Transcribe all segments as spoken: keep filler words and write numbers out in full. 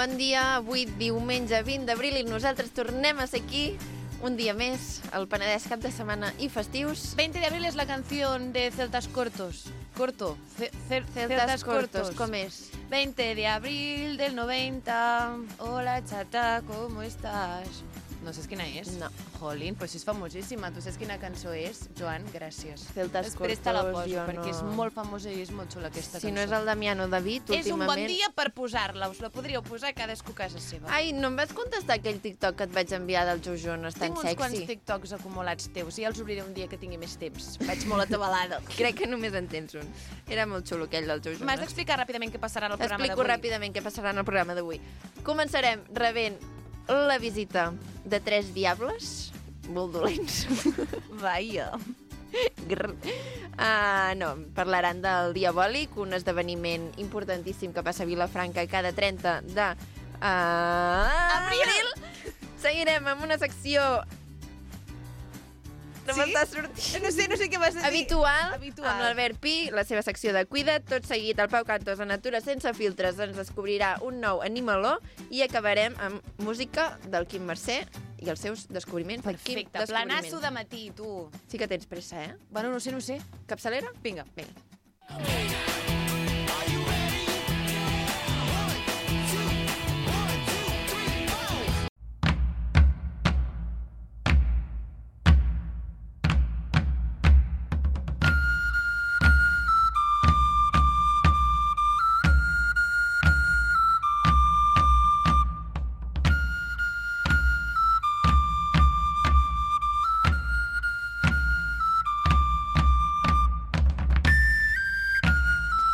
Bon dia, avui diumenge vint d'abril i nosaltres tornem a ser aquí un dia més, al Penedès, cap de setmana i festius. veinte de abril es la canción de Celtas Cortos. Corto. Ce ce Celtas, Celtas cortos, Cortos. com és? veinte de abril del noventa. Hola, chata, ¿cómo estás? No saps quina és? No. Jolín, pues és famosíssima. Tu saps quina cançó és? Joan, gràcies. Celtas Després te la Cortos, poso, jo perquè no. és molt famosa i és molt xula aquesta Si cançó. no és el Damiano David, És un últimament... bon dia per posar-la. Us la podríeu posar cadascú a casa seva. Ai, no em vas contestar aquell TikTok que et vaig enviar del Jojon, és tan Tinc uns sexy. quants TikToks acumulats teus i ja els obriré un dia que tingui més temps. Vaig molt atabalada. Crec que només en tens un. Era molt xulo aquell del Jojon. M'has d'explicar ràpidament què passarà en el programa T'explico d'avui. ràpidament què passarà en el programa d'avui. Començarem rebent la visita de tres diables, molt dolents. Vaja. Grr. Uh, no, parlaran del Diabòlic, un esdeveniment importantíssim que passa a Vilafranca cada trenta de uh, abril. Seguirem amb una secció no Sí? m'està sortint. No sé, no sé què vas a dir. Habitual, Habitual. amb l'Albert Pi, la seva secció de Cuida't, tot seguit el Pau Cantos a Natura sense filtres ens descobrirà un nou animaló i acabarem amb música del Quim Mercè i els seus descobriments. del Quim Perfecte, Descobriment. planasso de matí, tu. Sí que tens pressa, eh? Bueno, no sé, no sé. Capçalera? Vinga. Vinga.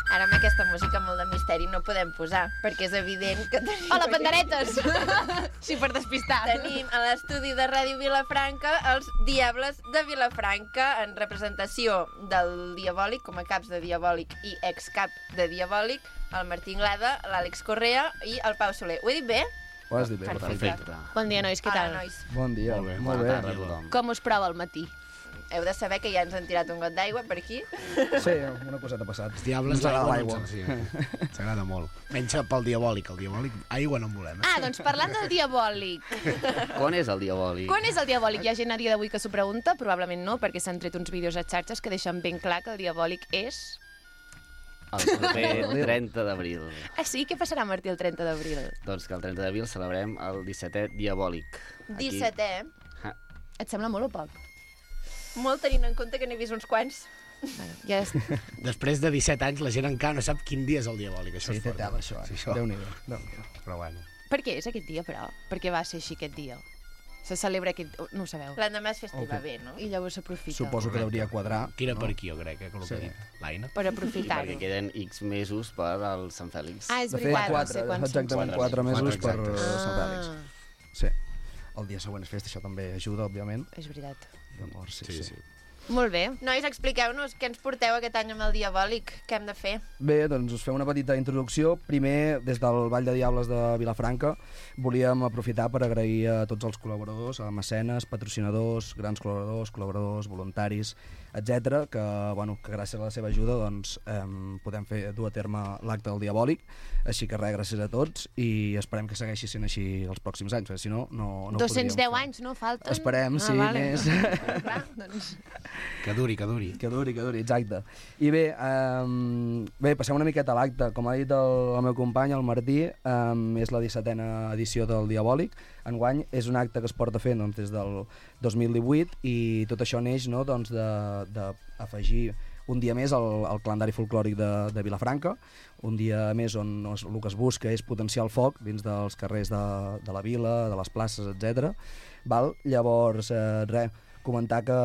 Ara amb aquesta música molt de misteri no podem posar, perquè és evident que tenim... Hola, panderetes! Sí, per despistar. Tenim a l'estudi de Ràdio Vilafranca els Diables de Vilafranca en representació del Diabòlic, com a caps de Diabòlic i excap de Diabòlic, el Martí Inglada, l'Àlex Correa i el Pau Soler. Ho he dit bé? Ho has dit bé. Perfecte. Bon dia, nois, què Hola, tal? nois. Bon dia. Molt bé, molt bona bé. tarda a tothom. Com us prova el matí? Heu de saber que ja ens han tirat un got d'aigua per aquí. Sí, una coseta ha passat. Els diables Ens agrada d'aigua l'aigua. no ens- sí, s'agrada molt. Menys pel diabòlic, el diabòlic aigua no en volem. Eh? Ah, doncs parlant del diabòlic. Quan és el diabòlic? Quan és el diabòlic? Hi ha gent a dia d'avui que s'ho pregunta, probablement no, perquè s'han tret uns vídeos a xarxes que deixen ben clar que el diabòlic és... El proper trenta d'abril. Ah, sí? Què passarà, Martí, el trenta d'abril? Doncs que el trenta d'abril celebrem el dissetè diabòlic. Aquí- dissetè, Ha, Et sembla molt o poc? molt tenint en compte que n'he vist uns quants. Bueno, ja és... Després de disset anys la gent encara no sap quin dia és el diabòlic. Això Sí, és té fort. tela, això. Sí, Eh? això. Déu-n'hi-do. Déu-n'hi-do. Però bueno. Per què és aquest dia, però? Per què va ser així aquest dia? Se celebra aquest... No ho sabeu. L'endemà és festiva, Ok. bé, no? I llavors s'aprofita. Suposo que hauria quadrar. Tira per aquí, jo crec, eh, que el que Sí. ha dit l'Aina. Per I aprofitar-ho. perquè queden X mesos per al Sant Fèlix. Ah, és De fet, veritat, quatre, no sé quants són. exactament Quatre quatre mesos. mesos per Quatre, uh, exacte. Sant Fèlix. Ah, Sí. El dia següent és festa, això també ajuda, òbviament. és veritat. Llavors, sí, Sí, sí. sí. Molt bé. Nois, expliqueu-nos què ens porteu aquest any amb el Diabòlic, què hem de fer? Bé, doncs us fem una petita introducció. Primer, des del Vall de Diables de Vilafranca, volíem aprofitar per agrair a tots els col·laboradors, a mecenes, patrocinadors, grans col·laboradors, col·laboradors, voluntaris, etcètera, que, bueno, que gràcies a la seva ajuda doncs, eh, podem fer dur a terme l'acte del Diabòlic. Així que res, gràcies a tots i esperem que segueixi sent així els pròxims anys, perquè si no, no, no ho dos-cents deu podríem fer. anys, no? Falten? Esperem, sí, més. Clar, doncs... Que duri, que duri. Que duri, que duri, exacte. I bé, um, bé passem una miqueta a l'acte. Com ha dit el, el meu company, el Martí, um, és la dissetena edició del Diabòlic. Enguany és un acte que es porta fent doncs, des del dos mil divuit i tot això neix no, doncs, d'afegir un dia més al, al calendari folclòric de, de Vilafranca, un dia més on no, el que es busca és potenciar el foc dins dels carrers de, de la vila, de les places, etcètera. Val? Llavors, eh, res, comentar que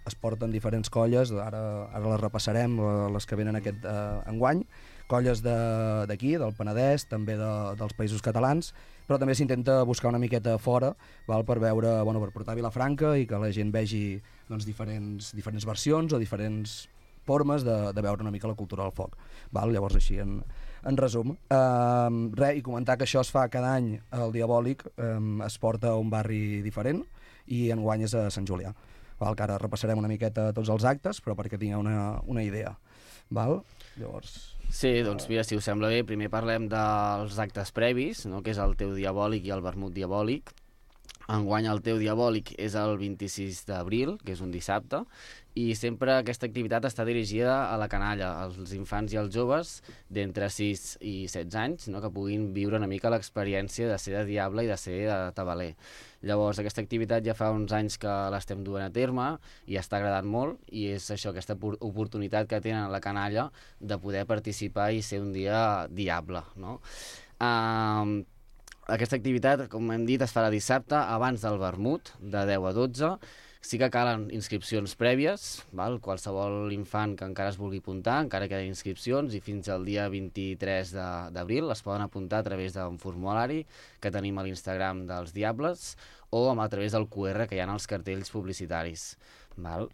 es porten diferents colles, ara, ara les repassarem, les que venen aquest eh, enguany, colles d'aquí, de, del Penedès, també de, dels països catalans, però també s'intenta buscar una miqueta fora, val, per veure, bueno, per portar a Vilafranca i que la gent vegi doncs, diferents, diferents versions o diferents formes de, de veure una mica la cultura del foc. Val? Llavors, així, en, en resum. Um, res, i comentar que això es fa cada any, el Diabòlic, um, es porta a un barri diferent, i enguany és a Sant Julià. Val, que ara repassarem una miqueta tots els actes, però perquè tingueu una, una idea. val? Llavors... Sí, doncs mira, si us sembla bé, primer parlem dels actes previs, no? Que és el teu diabòlic i el vermut diabòlic. Enguany el teu diabòlic és el vint-i-sis d'abril, que és un dissabte, i sempre aquesta activitat està dirigida a la canalla, als infants i als joves d'entre sis i setze anys, no? Que puguin viure una mica l'experiència de ser de diable i de ser de tabaler. Llavors, aquesta activitat ja fa uns anys que l'estem duent a terme i està agradant molt, i és això, aquesta oportunitat que tenen la canalla de poder participar i ser un dia diable, no? Uh, aquesta activitat, com hem dit, es farà dissabte abans del vermut, de deu a dotze. Sí que calen inscripcions prèvies, val? Qualsevol infant que encara es vulgui apuntar, encara queden inscripcions, i fins al dia vint-i-tres d'abril es poden apuntar a través d'un formulari que tenim a l'Instagram dels Diables o a través del Q R que hi ha als cartells publicitaris. Val?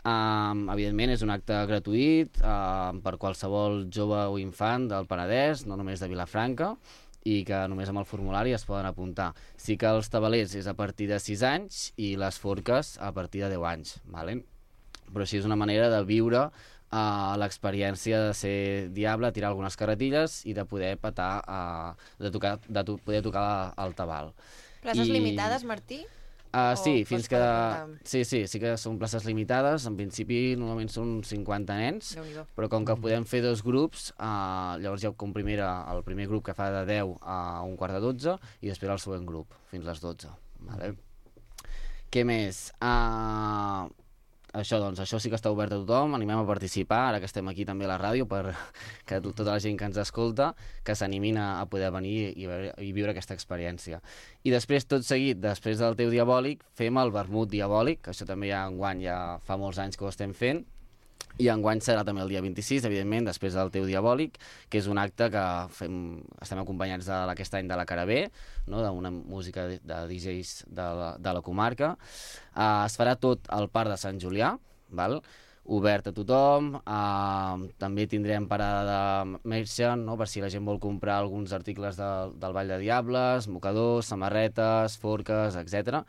Um, evidentment és un acte gratuït uh, per qualsevol jove o infant del Penedès, no només de Vilafranca, i que només amb el formulari es poden apuntar. Sí que els tabalers és a partir de sis anys i les forques a partir de deu anys, vale? Però així és una manera de viure uh, l'experiència de ser diable, tirar algunes carretilles i de poder petar, uh, de, tocar, de to poder tocar el tabal. Places I... limitades, Martí? Uh, sí, fins que... Apuntar? Sí, sí, sí que són places limitades. En principi, normalment són cinquanta nens, però com que podem fer dos grups, uh, llavors hi ha com primera, el primer grup que fa de deu a un quart de dotze i després el següent grup, fins les dotze. Vale? Què més? Uh, això, doncs, això sí que està obert a tothom, animem a participar, ara que estem aquí també a la ràdio, per que tota la gent que ens escolta, que s'animin a poder venir i, i viure aquesta experiència. I després, tot seguit, després del teu diabòlic, fem el vermut diabòlic, que això també ja enguany ja fa molts anys que ho estem fent, i enguany serà també el dia vint-i-sis, evidentment, després del teu diabòlic, que és un acte que fem, estem acompanyats de, aquest any de la Carabé, no? D'una música de, de D Js de la, de la comarca. Uh, es farà tot al Parc de Sant Julià, val? Obert a tothom. Uh, també tindrem parada de merchant, no? Per si la gent vol comprar alguns articles de, del Vall de Diables, mocadors, samarretes, forques, etcètera.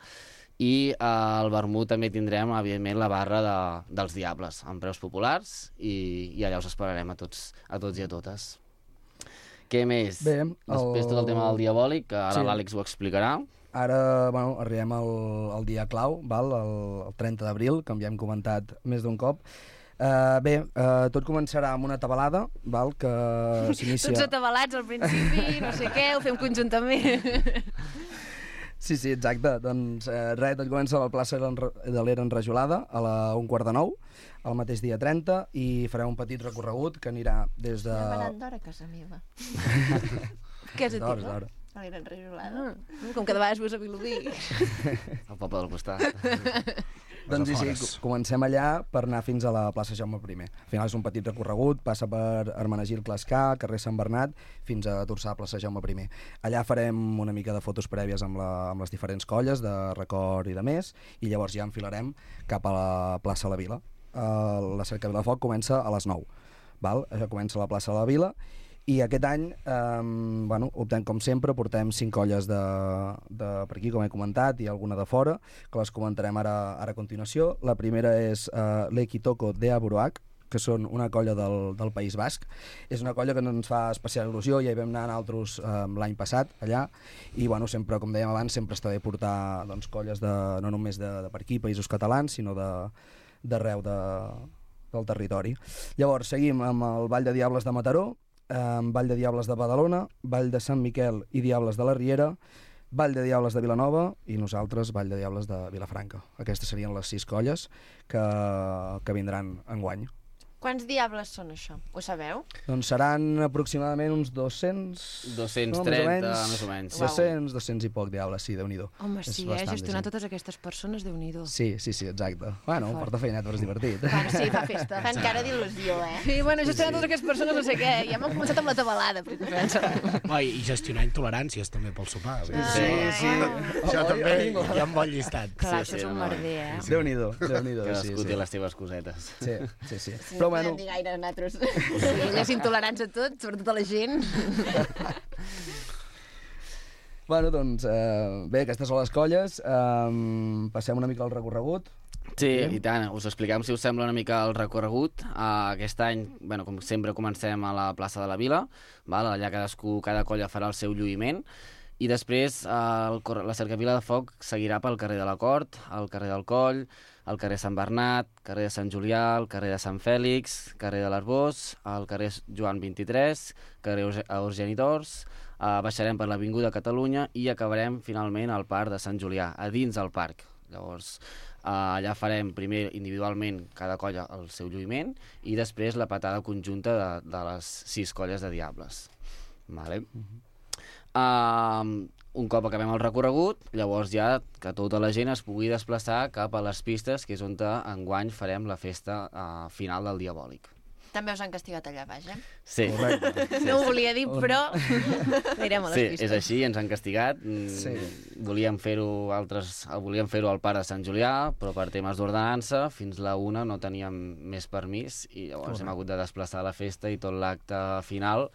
I eh, al vermut també tindrem, evidentment, la barra de, dels Diables, amb preus populars, i, i allà us esperarem a tots, a tots i a totes. Què més? Bé, després el... tot el tema del diabòlic, que ara sí. l'Àlex ho explicarà. Ara, bueno, arribem al, al dia clau, val? El, el trenta d'abril, com ja hem comentat més d'un cop. Uh, bé, uh, tot començarà amb una tabalada, val? Que s'inicia... Tots atabalats al principi, no sé què, ho fem conjuntament. Sí, sí, exacte. Doncs eh, res, tot comença a la plaça de l'Era Enrajolada a la un quart de nou, el mateix dia trenta, i farem un petit recorregut que anirà des de... Estem anant d'hora a casa meva. Què has dit, D'hora, no? d'hora. A l'era enrajolada. Ah, com que de vegades vos a Vilobí. Al poble del costat. Doncs sí, sí, comencem allà per anar fins a la plaça Jaume primer. Al final és un petit recorregut, passa per Hermenegildo Clascar, carrer Sant Bernat, fins a Torçà, plaça Jaume primer. Allà farem una mica de fotos prèvies amb, la, amb les diferents colles de record i de més, i llavors ja enfilarem cap a la plaça de la Vila. Uh, la cerca Vilafoc comença a les nou. Val? Això comença a la plaça de la Vila. I aquest any, eh, bueno, optem com sempre, portem cinc colles de, de per aquí, com he comentat, i alguna de fora, que les comentarem ara, ara a continuació. La primera és eh, l'Equitoco de Aburuac, que són una colla del, del País Basc. És una colla que ens fa especial il·lusió, ja hi vam anar nosaltres eh, l'any passat, allà, i bueno, sempre, com dèiem abans, sempre està bé portar doncs, colles de, no només de, de per aquí, països catalans, sinó d'arreu de, del territori. Llavors, seguim amb el Ball de Diables de Mataró, eh, Vall de Diables de Badalona, Vall de Sant Miquel i Diables de la Riera, Vall de Diables de Vilanova i nosaltres Vall de Diables de Vilafranca. Aquestes serien les sis colles que, que vindran enguany. Quants diables són això? Ho sabeu? Doncs seran aproximadament uns dos-cents... dos-cents no, trenta, més o menys. dos-cents, dos-cents i poc diables, sí, Déu-n'hi-do. Home, sí, eh? Gestionar totes aquestes persones, Déu-n'hi-do. Sí, sí, sí, exacte. Bueno, porta feinet, però és divertit. Fan, sí, fa festa. Fan cara d'il·lusió, eh? Sí, bueno, gestionar totes aquestes persones, no sé què. Ja hem començat amb la tabalada, per oh, I gestionar intoleràncies també pel sopar. Sí, sí, sí. Això també hi ha un bon llistat. Clar, Sí, això és sí, un no. merder, eh? Sí. Déu-n'hi-do, Déu-n'hi-do. Cadascú sí, té sí. les teves cosetes. Sí, sí, sí. Sí, Però no bueno, podem dir gaire nosaltres. Sí, ella és intolerants a tot, sobretot a la gent. Bueno, doncs, eh, bé, aquestes són les colles. Eh, passem una mica al recorregut. Sí, i tant. Us expliquem, si us sembla, una mica el recorregut. Uh, aquest any, bueno, com sempre, comencem a la plaça de la Vila. Val? Allà cadascú, cada colla farà el seu lluïment. I després uh, el, la cercavila de foc seguirà pel carrer de la Cort, el carrer del Coll, el carrer Sant Bernat, carrer de Sant Julià, el carrer de Sant Fèlix, carrer de l'Arbós, el carrer Joan vint-i-tres, carrer Eugeni d'Ors, uh, baixarem per l'Avinguda Catalunya i acabarem finalment al Parc de Sant Julià, a dins del parc. Llavors, uh, allà farem primer individualment cada colla el seu lluïment i després la patada conjunta de, de les sis colles de Diables. Vale? Mm-hmm. Uh, un cop acabem el recorregut, llavors ja que tota la gent es pugui desplaçar cap a les pistes, que és on enguany farem la festa uh, final del Diabòlic. També us han castigat allà baix, eh? Sí. Correcte. No ho volia dir, però anirem a les Sí, pistes. és així, ens han castigat. Sí. Volíem fer-ho altres, volíem fer-ho al Parc de Sant Julià, però per temes d'ordenança, fins la una no teníem més permís i llavors Correcte. Hem hagut de desplaçar la festa i tot l'acte final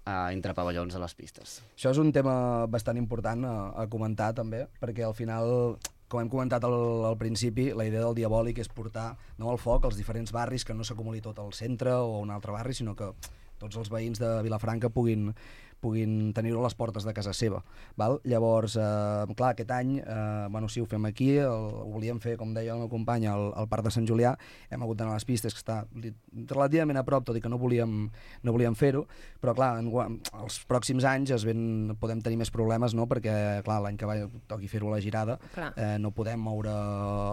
Uh, entre pavellons a les pistes. Això és un tema bastant important a, a comentar també, perquè al final, com hem comentat al, al principi, la idea del Diabòlic és portar no, el foc als diferents barris, que no s'acumuli tot al centre o a un altre barri, sinó que tots els veïns de Vilafranca puguin, puguin tenir-ho a les portes de casa seva. Val? Llavors, eh, clar, aquest any, eh, bueno, sí, ho fem aquí, el, ho volíem fer, com deia el meu company, al, al Parc de Sant Julià, hem hagut d'anar a les pistes, que està relativament a prop, tot i que no volíem, no volíem fer-ho, però clar, en, els pròxims anys es ven, podem tenir més problemes, no?, perquè clar, l'any que va toqui fer-ho a la Girada, eh, no podem moure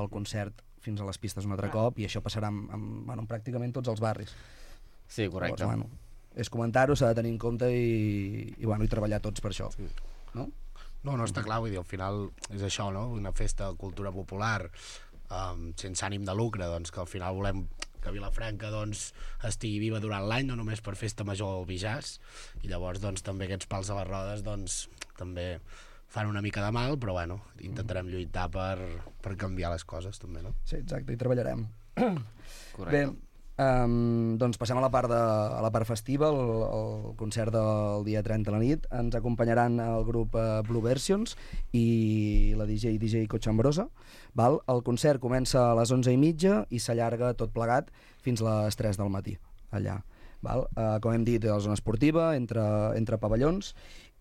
el concert fins a les pistes un altre clar. cop, i això passarà amb, amb, bueno, amb pràcticament tots els barris. Sí, correcte. Llavors, bueno, és comentar-ho, s'ha de tenir en compte i, i, bueno, i treballar tots per això. Sí. No? No, no està clar, vull dir, al final és això, no? Una festa de cultura popular um, sense ànim de lucre, doncs que al final volem que Vilafranca doncs, estigui viva durant l'any, no només per festa major o Bijàs, i llavors doncs, també aquests pals a les rodes doncs, també fan una mica de mal, però bueno, intentarem lluitar per, per canviar les coses també, no? Sí, exacte, i treballarem. Correcte. Bé, Um, doncs passem a la part, de, a la part festiva, el, el concert del dia trenta a la nit. Ens acompanyaran el grup uh, Blue Versions i la D J D J Cotxambrosa. Val? El concert comença a les onze i mitja i s'allarga tot plegat fins a les tres del matí, allà. Val? Uh, com hem dit, a la zona esportiva, entre, entre pavellons,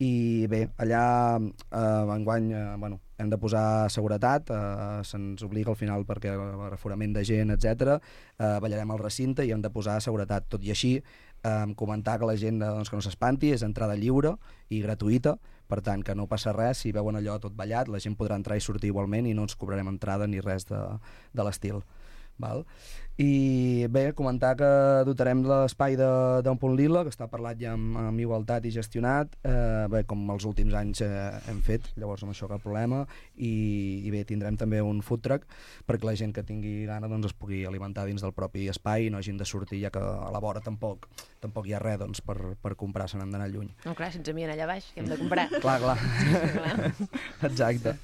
i bé, allà eh, enguany eh, bueno, hem de posar seguretat, eh, se'ns obliga al final perquè l'aforament de gent, etcètera. Eh, ballarem al recinte i hem de posar seguretat. Tot i així, eh, comentar que la gent doncs, que no s'espanti, és entrada lliure i gratuïta, per tant que no passa res, si veuen allò tot ballat, la gent podrà entrar i sortir igualment i no ens cobrarem entrada ni res de, de l'estil. Val? I bé, comentar que dotarem l'espai d'Un Punt Lila, que està parlat ja amb, amb igualtat i gestionat, eh, bé, com els últims anys eh, hem fet, llavors amb això cap problema, i, i bé, tindrem també un food truck perquè la gent que tingui gana doncs, es pugui alimentar dins del propi espai i no hagin de sortir, ja que a la vora tampoc, tampoc hi ha res doncs, per, per comprar, se n'han d'anar lluny. No, clar, si ens envien allà baix, que hem de comprar. Clar, clar. Exacte.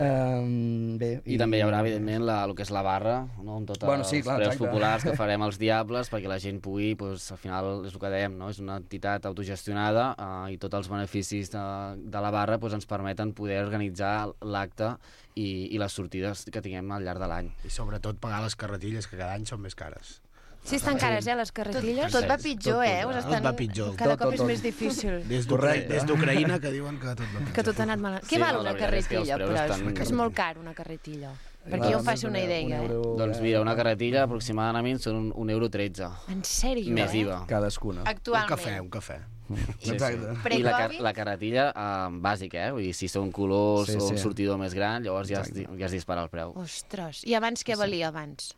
Um, bé, I, I també hi haurà, evidentment, la, el que és la barra, no? Amb tots bueno, sí, els clar, preus exacte. populars que farem als Diables perquè la gent pugui, doncs, al final, és el que dèiem, no? És una entitat autogestionada uh, i tots els beneficis de, de la barra doncs, ens permeten poder organitzar l'acte i, i les sortides que tinguem al llarg de l'any. I sobretot pagar les carretilles, que cada any són més cares. Sí, estan cares, eh, les carretilles? Tot va pitjor, eh? Us Tot estan... va pitjor. Cada Tot, cop tot, és tot. més difícil. Des d'Ucraïna que diuen que tot va pitjor. Que tot ha anat malament. Sí, Què val no, la una veritat és que els carretilla? preus Però estan- és, és molt car, una carretilla. Perquè Clar, jo em faci una un idea, eh? euro, Doncs mira, una carretilla aproximadament són un, un euro tretze. En sèrio, Més eh? I V A. cadascuna. Un Actualment. cafè, un cafè. Sí, Exacte. sí. I la, car Pre-Covid? la carretilla eh, bàsica, eh? Vull dir, si són colors Sí, o sí. un sortidor més gran, llavors ja es, Exacte. ja es dispara el preu. Ostres, i abans què valia abans?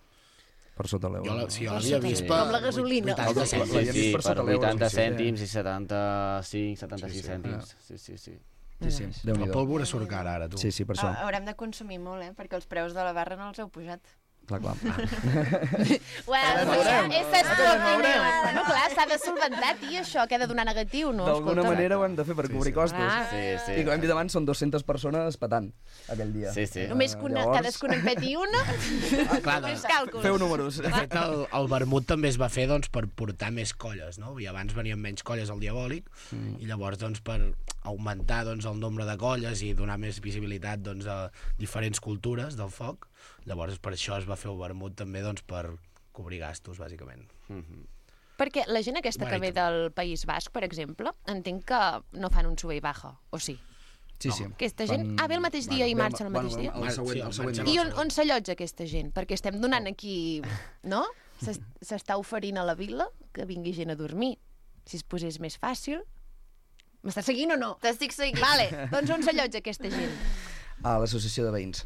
Per sota l'euro. Jo la, sí, jo Per l'havia sota vist l'euro. per... Com la gasolina. vuitanta Sí, Sí, cèntims. ja sí, vist per per sota l'euro, vuitanta sí, sí. cèntims i setanta-cinc, setanta-sis Sí, sí. cèntims. Sí, sí, sí. Sí, sí, La Déu-n'hi-do. pólvora surt cara, ara, tu. Sí, sí, per això. Ha- Haurem de consumir molt, eh? Perquè els preus de la barra no els heu pujat. Clar, clar. Well, veurem. esa és tu opinió. Bueno, clar, s'ha de solventar, tio, això, que ha de donar negatiu, no? D'alguna Escolta. manera ho hem de fer per cobrir costos. Clar. Sí, sí. I com hem dit abans, són dues-centes persones petant aquell dia. Sí, sí. Només que una, Llavors- cadascun en peti una, Ah, clar, de, més càlculs. Feu números. de fet, el, el vermut també es va fer doncs, per portar més colles, no? I abans venien menys colles al Diabòlic, mm. i llavors, doncs, per augmentar doncs, el nombre de colles i donar més visibilitat doncs, a diferents cultures del foc. Llavors per això es va fer el vermut també doncs, per cobrir gastos, bàsicament. Mhm. Perquè la gent aquesta que Bueno, ve del País Basc, per exemple, entenc que no fan un sube i baja, o sí? Sí, sí. Aquesta gent... Ah, ve el mateix dia i marxa el mateix dia? El següent, el següent Sí, dia. I on, on s'allotja aquesta gent? Perquè estem donant aquí... No? S'es- S'està oferint a la vila que vingui gent a dormir. Si es posés més fàcil... M'estàs seguint o no? T'estic seguint. Vale, doncs on s'allotja aquesta gent? A l'associació de veïns.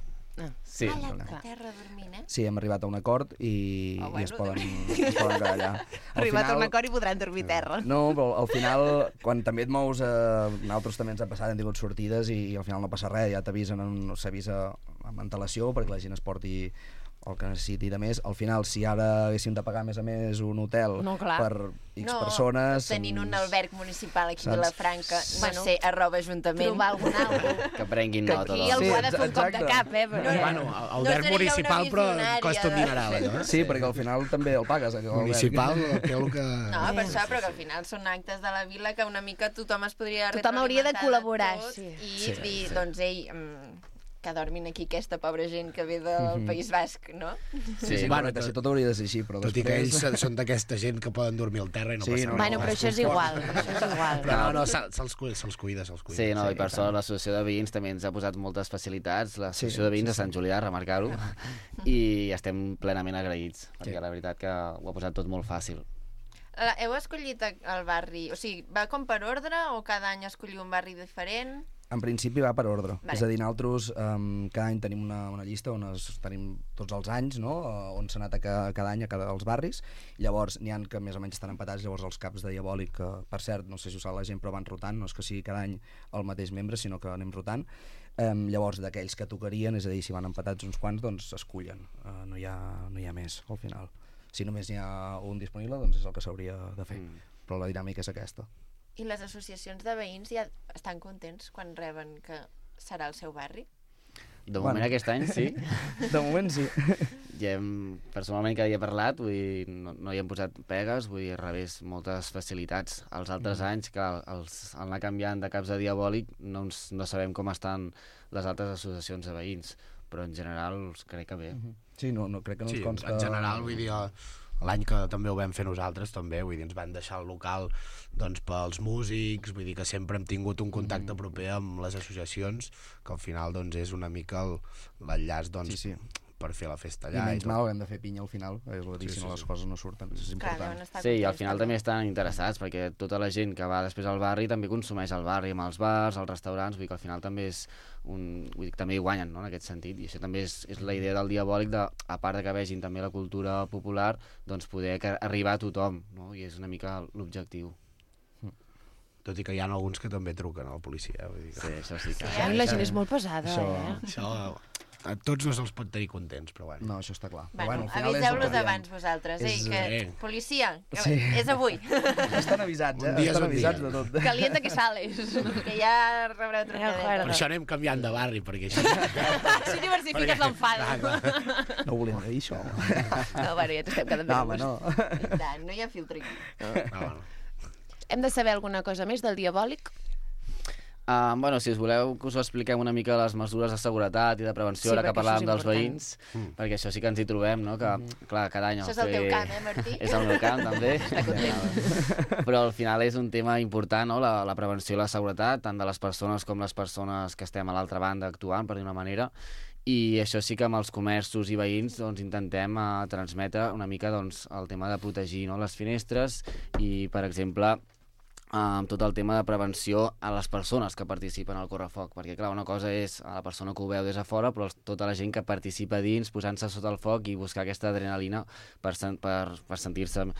Sí. A la Clar. terra dormint, eh? Sí, hem arribat a un acord i, Ah, i es, bueno, poden, es poden quedar allà. Al Arribat a un acord i podran dormir a terra. No, però al final, quan també et mous, eh, nosaltres també ens ha passat, hem tingut sortides i, i al final no passa res, ja t'avisen, en- s'avisa amb antelació perquè la gent es porti el que necessiti de més. Al final, si ara haguéssim de pagar més a més un hotel No, clar. per X no, persones... tenint un ens- alberg municipal aquí a Saps? Vilafranca, no Bueno, sé, arroba ajuntament. Trobar algun algú. Que prenguin Que nota. Aquí doncs. algú Sí, ha de fer un cop de exacte. cap, eh? Però... No, no. Bueno, el No alberg seré jo una municipal però visionària costa un de- dineral, allò. Eh? Sí, perquè al final també el pagues. eh, l'alberg. Municipal, que el que... No, per això, però que al final són actes de la vila que una mica tothom es podria Tothom hauria de retroalimentar col·laborar, tot sí. I Sí, dir, sí. doncs, ei, mm, que dormin aquí aquesta pobra gent que ve del País Basc, no? Sí, sí, Bueno, correcte, tot- si tot hauria de ser així, però Tot i que després... ells són d'aquesta gent que poden dormir al terra i no Sí, passa no, res. Bueno, però això és igual, això és igual. Però no, no, se- se'ls cuida, se'ls cuida, se'ls cuida. Sí, no, Sí, i per i sort tant. l'associació de veïns també ens ha posat moltes facilitats, l'associació Sí, de veïns sí, de Sant Julià, remarcar-ho, i estem plenament agraïts, perquè Sí. la veritat que ho ha posat tot molt fàcil. La- Heu escollit el barri, o sigui, va com per ordre o cada any escolliu un barri diferent? En principi va per ordre. Vale. És a dir, nosaltres um, cada any tenim una, una llista on es, tenim tots els anys, no? Uh, on s'ha anat a cada, cada any a cada dels barris. Llavors, n'hi ha que més o menys estan empatats, llavors els caps de Diabòlic, que per cert, no sé si ho sap la gent, però van rotant, no és que sigui cada any el mateix membre, sinó que anem rotant. Um, llavors, d'aquells que tocarien, és a dir, si van empatats uns quants, doncs s'escullen. Uh, no, hi ha, no hi ha més, al final. Si només n'hi ha un disponible, doncs és el que s'hauria de fer. Mm. Però la dinàmica és aquesta. I les associacions de veïns ja estan contents quan reben que serà el seu barri? De moment Bueno. aquest any sí, De moment sí. ja hem, personalment que hi he parlat, vull dir, no, no hi hem posat pegues, vull dir, al revés, moltes facilitats. Els altres Mm. anys, que els, al anar canviant de caps de Diabòlic, no, ens, no sabem com estan les altres associacions de veïns, però en general crec que bé. Sí, no, no crec que no Sí, ens consta... en general, vull dir, l'any que també ho vam fer nosaltres, també, vull dir, ens van deixar el local doncs, pels músics, vull dir que sempre hem tingut un contacte Mm. proper amb les associacions, que al final doncs, és una mica el- l'enllaç doncs, Sí, sí. per fer la festa I allà. menys tot. mal, hem de fer pinya al final, és a dir, Sí, si sí, no les sí. coses no surten, és Clar, important. deuen estar Sí, i al contents final també estan interessats, perquè tota la gent que va després al barri també consumeix al barri, amb els bars, els restaurants, vull dir que al final també és un... Vull dir que també hi guanyen, no?, en aquest sentit, i això també és, és la idea del Diabòlic, de, a part de que vegin també la cultura popular, doncs poder que arribar a tothom, no?, i és una mica l'objectiu. Tot i que hi ha alguns que també truquen a la policia. Vull dir que... Sí, això sí que... Sí, Ai, la gent és molt pesada, Això- eh? Això a tots no se'ls pot tenir contents, però bueno. No, això està clar. Però, Bueno, al final és el aviseu-los que diem. abans vosaltres, ei, És, que eh, policia, que Sí. és avui, Estan avisats, eh? Un dia és Estan un dia. avisats de tot. Calienta que sales. que ja rebreu Ja, trucadeta. Per això anem canviant de barri, perquè així... Així diversifiques l'enfada. No volíem dir això. No, bueno, ja t'estem quedant No, bé. home, no. I tant, no hi ha filtre aquí. No, no. Hem de saber alguna cosa més del Diabòlic? Uh, bueno, si us voleu que us expliquem una mica les mesures de seguretat i de prevenció, Sí, ara que perquè això és parlàvem dels important. veïns, Mm. perquè això sí que ens hi trobem, no?, que, clar, cada any... Això és al el teu fer- camp, eh, Martí? És el meu camp, també. Però al final és un tema important, no?, la, la prevenció i la seguretat, tant de les persones com les persones que estem a l'altra banda actuant, per dir una manera, i això sí que amb els comerços i veïns doncs, intentem uh, transmetre una mica doncs, el tema de protegir, no?, les finestres i, per exemple, amb tot el tema de prevenció a les persones que participen al correfoc, perquè clar, una cosa és a la persona que ho veu des de fora, però tota la gent que participa dins, posant-se sota el foc i buscar aquesta adrenalina per, sen per, per sentir-se uh,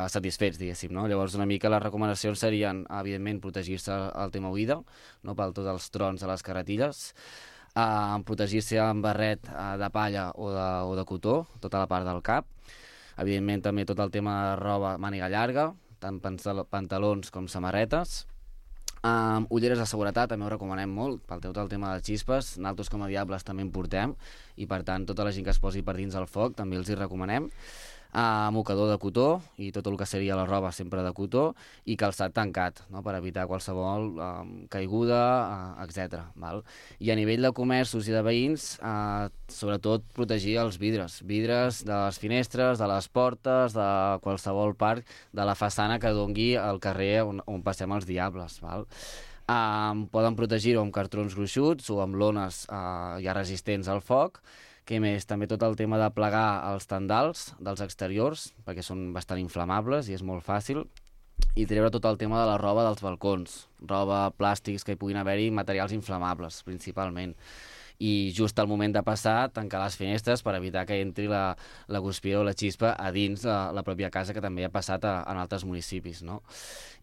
satisfets, diguéssim, no? Llavors una mica les recomanacions serien, evidentment, protegir-se al tema oïda, no?, pel tots els trons a les carretilles, uh, protegir-se amb barret uh, de palla o de, o de cotó, tota la part del cap, evidentment també tot el tema de roba màniga llarga, tant pantalons com samarretes. Um, ulleres de seguretat també ho recomanem molt, pel tot el tema de les xispes, nosaltres com a Diables també en portem, i per tant tota la gent que es posi per dins del foc també els hi recomanem. Uh, mocador de cotó i tot el que seria la roba sempre de cotó i calçat tancat, no? Per evitar qualsevol uh, caiguda, uh, etcètera. Val? I a nivell de comerços i de veïns, uh, sobretot protegir els vidres. Vidres de les finestres, de les portes, de qualsevol part de la façana que dongui al carrer on, on passem els diables. Val? Uh, poden protegir-ho amb cartrons gruixuts o amb lones uh, ja resistents al foc. Què més? També tot el tema de plegar els tendals dels exteriors, perquè són bastant inflamables i és molt fàcil, i treure tot el tema de la roba dels balcons, roba, plàstics, que hi puguin haver-hi materials inflamables, principalment. I just al moment de passar, tancar les finestres per evitar que entri la, la guspira o la xispa a dins la, la pròpia casa, que també ha passat a, en altres municipis, no?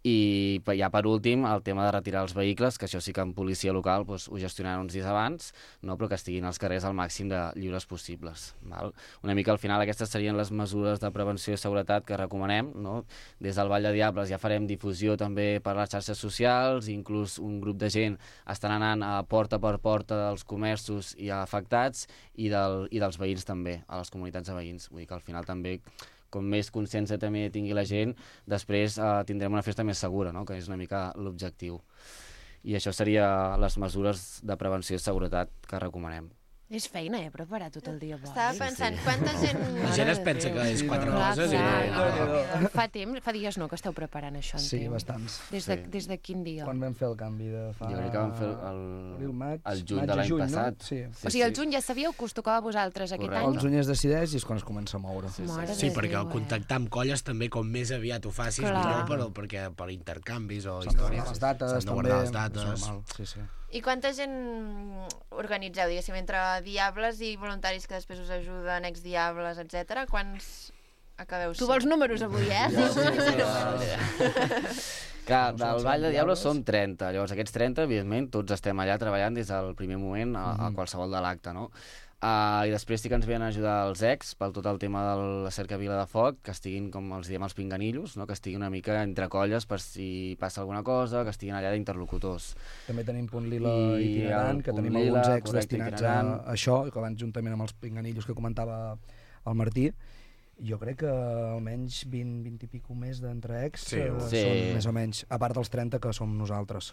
I ja per últim, el tema de retirar els vehicles, que això sí que en policia local doncs, ho gestionaran uns dies abans, no? Però que estiguin als carrers al màxim de lliures possibles. Val? Una mica al final aquestes serien les mesures de prevenció i seguretat que recomanem. No? Des del Vall de Diables ja farem difusió també per les xarxes socials, inclús un grup de gent estan anant a porta per porta dels comerços i afectats i, del, i dels veïns també, a les comunitats de veïns. Vull dir que al final també, com més consciència també tingui la gent, després eh, tindrem una festa més segura, no? Que és una mica l'objectiu. I això seria les mesures de prevenció i seguretat que recomanem. És feina, eh, preparar tot el dia. Estava pensant, sí, sí. Quanta gent... La gent es pensa que és quatre clar, coses clar, i no. clar. Fa temps, fa dies no, que esteu preparant això, entenc. Sí, bastants. Des de, Sí. des de quin dia? Quan vam fer el canvi de fa... Jo crec que vam fer el, Abril, maig, el juny maig de a l'any juny, passat. No? Sí. Sí, O sigui, el sí. juny ja sabíeu que us tocava a vosaltres aquest Correcte. any? El juny es decideix i és quan es comença a moure. Sí, sí. Mare Sí, de perquè Déu, el eh? contactar amb colles també, com més aviat ho facis, Clar. millor, però, perquè per intercanvis o S'han de històries. guardar les dates, S'han de també. guardar les és dates. normal, sí, sí. I quanta gent organitzeu, diguéssim, entre diables i voluntaris que després us ajuden, ex-diables, etcètera? Quants acabeu Tu vols números avui, eh? Clar, del Vall de Diables som trenta, llavors aquests trenta, evidentment, tots estem allà treballant des del primer moment a, a qualsevol de l'acte, no? Uh, I després sí que ens venen a ajudar els ex pel tot el tema de la cercavila de foc, que estiguin, com els diem, els pinganillos, no? Que estiguin una mica entre colles per si passa alguna cosa, que estiguin allà d'interlocutors. També tenim Punt Lila I itinerant, el que Punt tenim Lila, alguns ex correcte, destinats itinerant. a això, que van juntament amb els pinganillos que comentava el Martí. Jo crec que almenys vint, vint i pico més d'entre ex Sí, eh, sí. són més o menys, a part dels trenta que som nosaltres,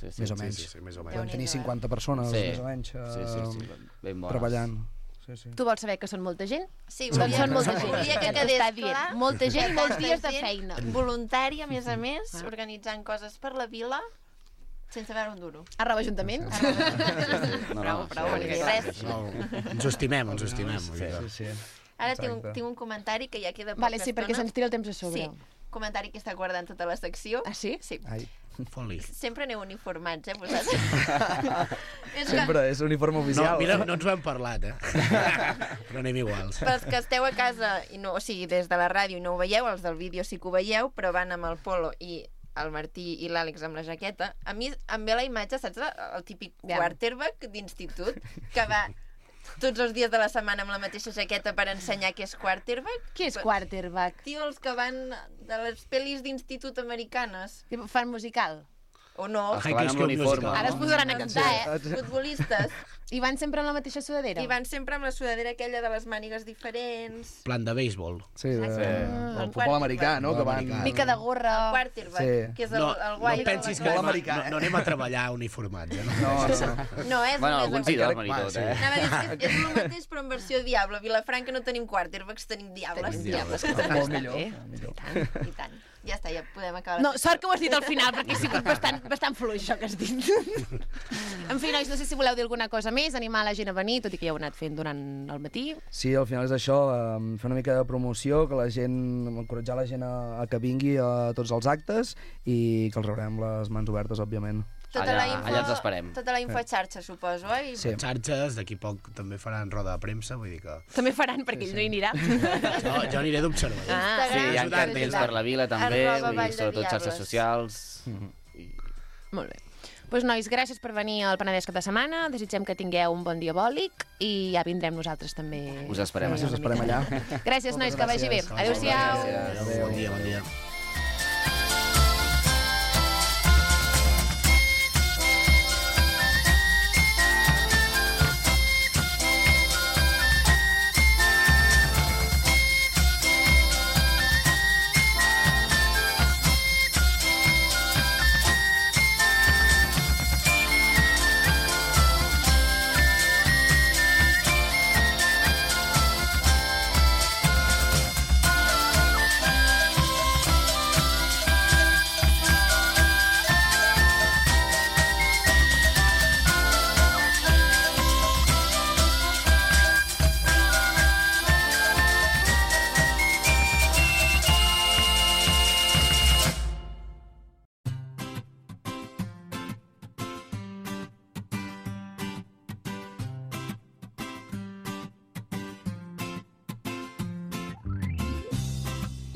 Sí, sí. més o Sí, menys. sí, sí, més o menys. Podem tenir Déu-n'hi-do, eh? cinquanta persones, Sí. més o menys, eh, Sí, sí, sí, ben bones. treballant. Sí, sí. Tu vols saber que són molta gent? Sí, Doncs volia, són molta gent. volia que Ja t'ho quedés està dient. clar. Molta gent i molts Tanta dies de gent feina. Voluntària, a més a més, Ah. organitzant coses per la vila, sense veure un duro. Arroba Ajuntament. No, Prou, no, prou, sí, perquè sí, res. sí. No, ens ho estimem, ens ho estimem. vull dir que- Sí, sí. Ara tinc un, Exacte. tinc un comentari que ja queda poca Vale, sí, perquè estona. se'ns tira el temps a sobre. Sí, comentari que està guardant tota la secció. Ah, sí? Sí. Ai, Fot-li. Sempre aneu uniformats, eh, vosaltres? és que, sempre és uniforme No, oficial. mira, no ens ho hem parlat, eh? Però anem iguals. pels que esteu a casa, i no, o sigui, des de la ràdio i no ho veieu, els del vídeo sí que ho veieu, però van amb el polo i el Martí i l'Àlex amb la jaqueta. A mi em ve la imatge, saps, el típic Ja. quarterback d'institut, que va tots els dies de la setmana amb la mateixa jaqueta per ensenyar què és quarterback. Qui és quarterback? Tio, els que van de les pel·lis d'institut americanes. Fan musical? O no, El que High van School amb l'uniforme. Musical. Ara es posaran a cantar, eh? futbolistes. I van sempre amb la mateixa sudadera? I van sempre amb la sudadera aquella de les mànigues diferents. Plan de béisbol. Sí, de, Exacte. el El futbol americà, no? Que van... americà. Mica de gorra... El quarterback, Sí. que és el, No, el no guai. pensis de que la Futbol anem, americà, no, eh? no anem a treballar uniformats, eh? No, no. No, és Bueno, el alguns més sí, dormen i Va, tot, sí. eh? Anava a dir, és, que és el mateix però en versió diable. A Vilafranca no tenim quarterbacks, tenim diables. Tenim diables. Molt millor. bé. millor. I tant. Ja està, ja podem acabar. No, sort que ho has dit al final, perquè ha sigut bastant, bastant fluix, això que has dit. En fi, nois, no sé si voleu dir alguna cosa més, animar la gent a venir, tot i que ja ho heu anat fent durant el matí. Sí, al final és això, eh, fer una mica de promoció, que la gent, encoratjar la gent a, a que vingui a tots els actes i que els rebrem les mans obertes, òbviament. Tota Allà- la info, allà ens esperem. Tota la info a xarxa, suposo, oi? Sí. Xarxes, d'aquí poc també faran roda de premsa, vull dir que... També faran, perquè ell no hi anirà. No, jo aniré d'observador. Ah, Sí, hi ha Instagram, cartells per la vila també, Arroba vull Vall dir, de sobretot Diables. xarxes socials. I... Molt bé. Doncs, pues, nois, gràcies per venir al Penedès cap de setmana. Desitgem que tingueu un bon diabòlic i ja vindrem nosaltres també. Us esperem Us allà. esperem allà. Gràcies, nois, que vagi bé. Adéu-siau. Adéu. Bon dia, bon dia.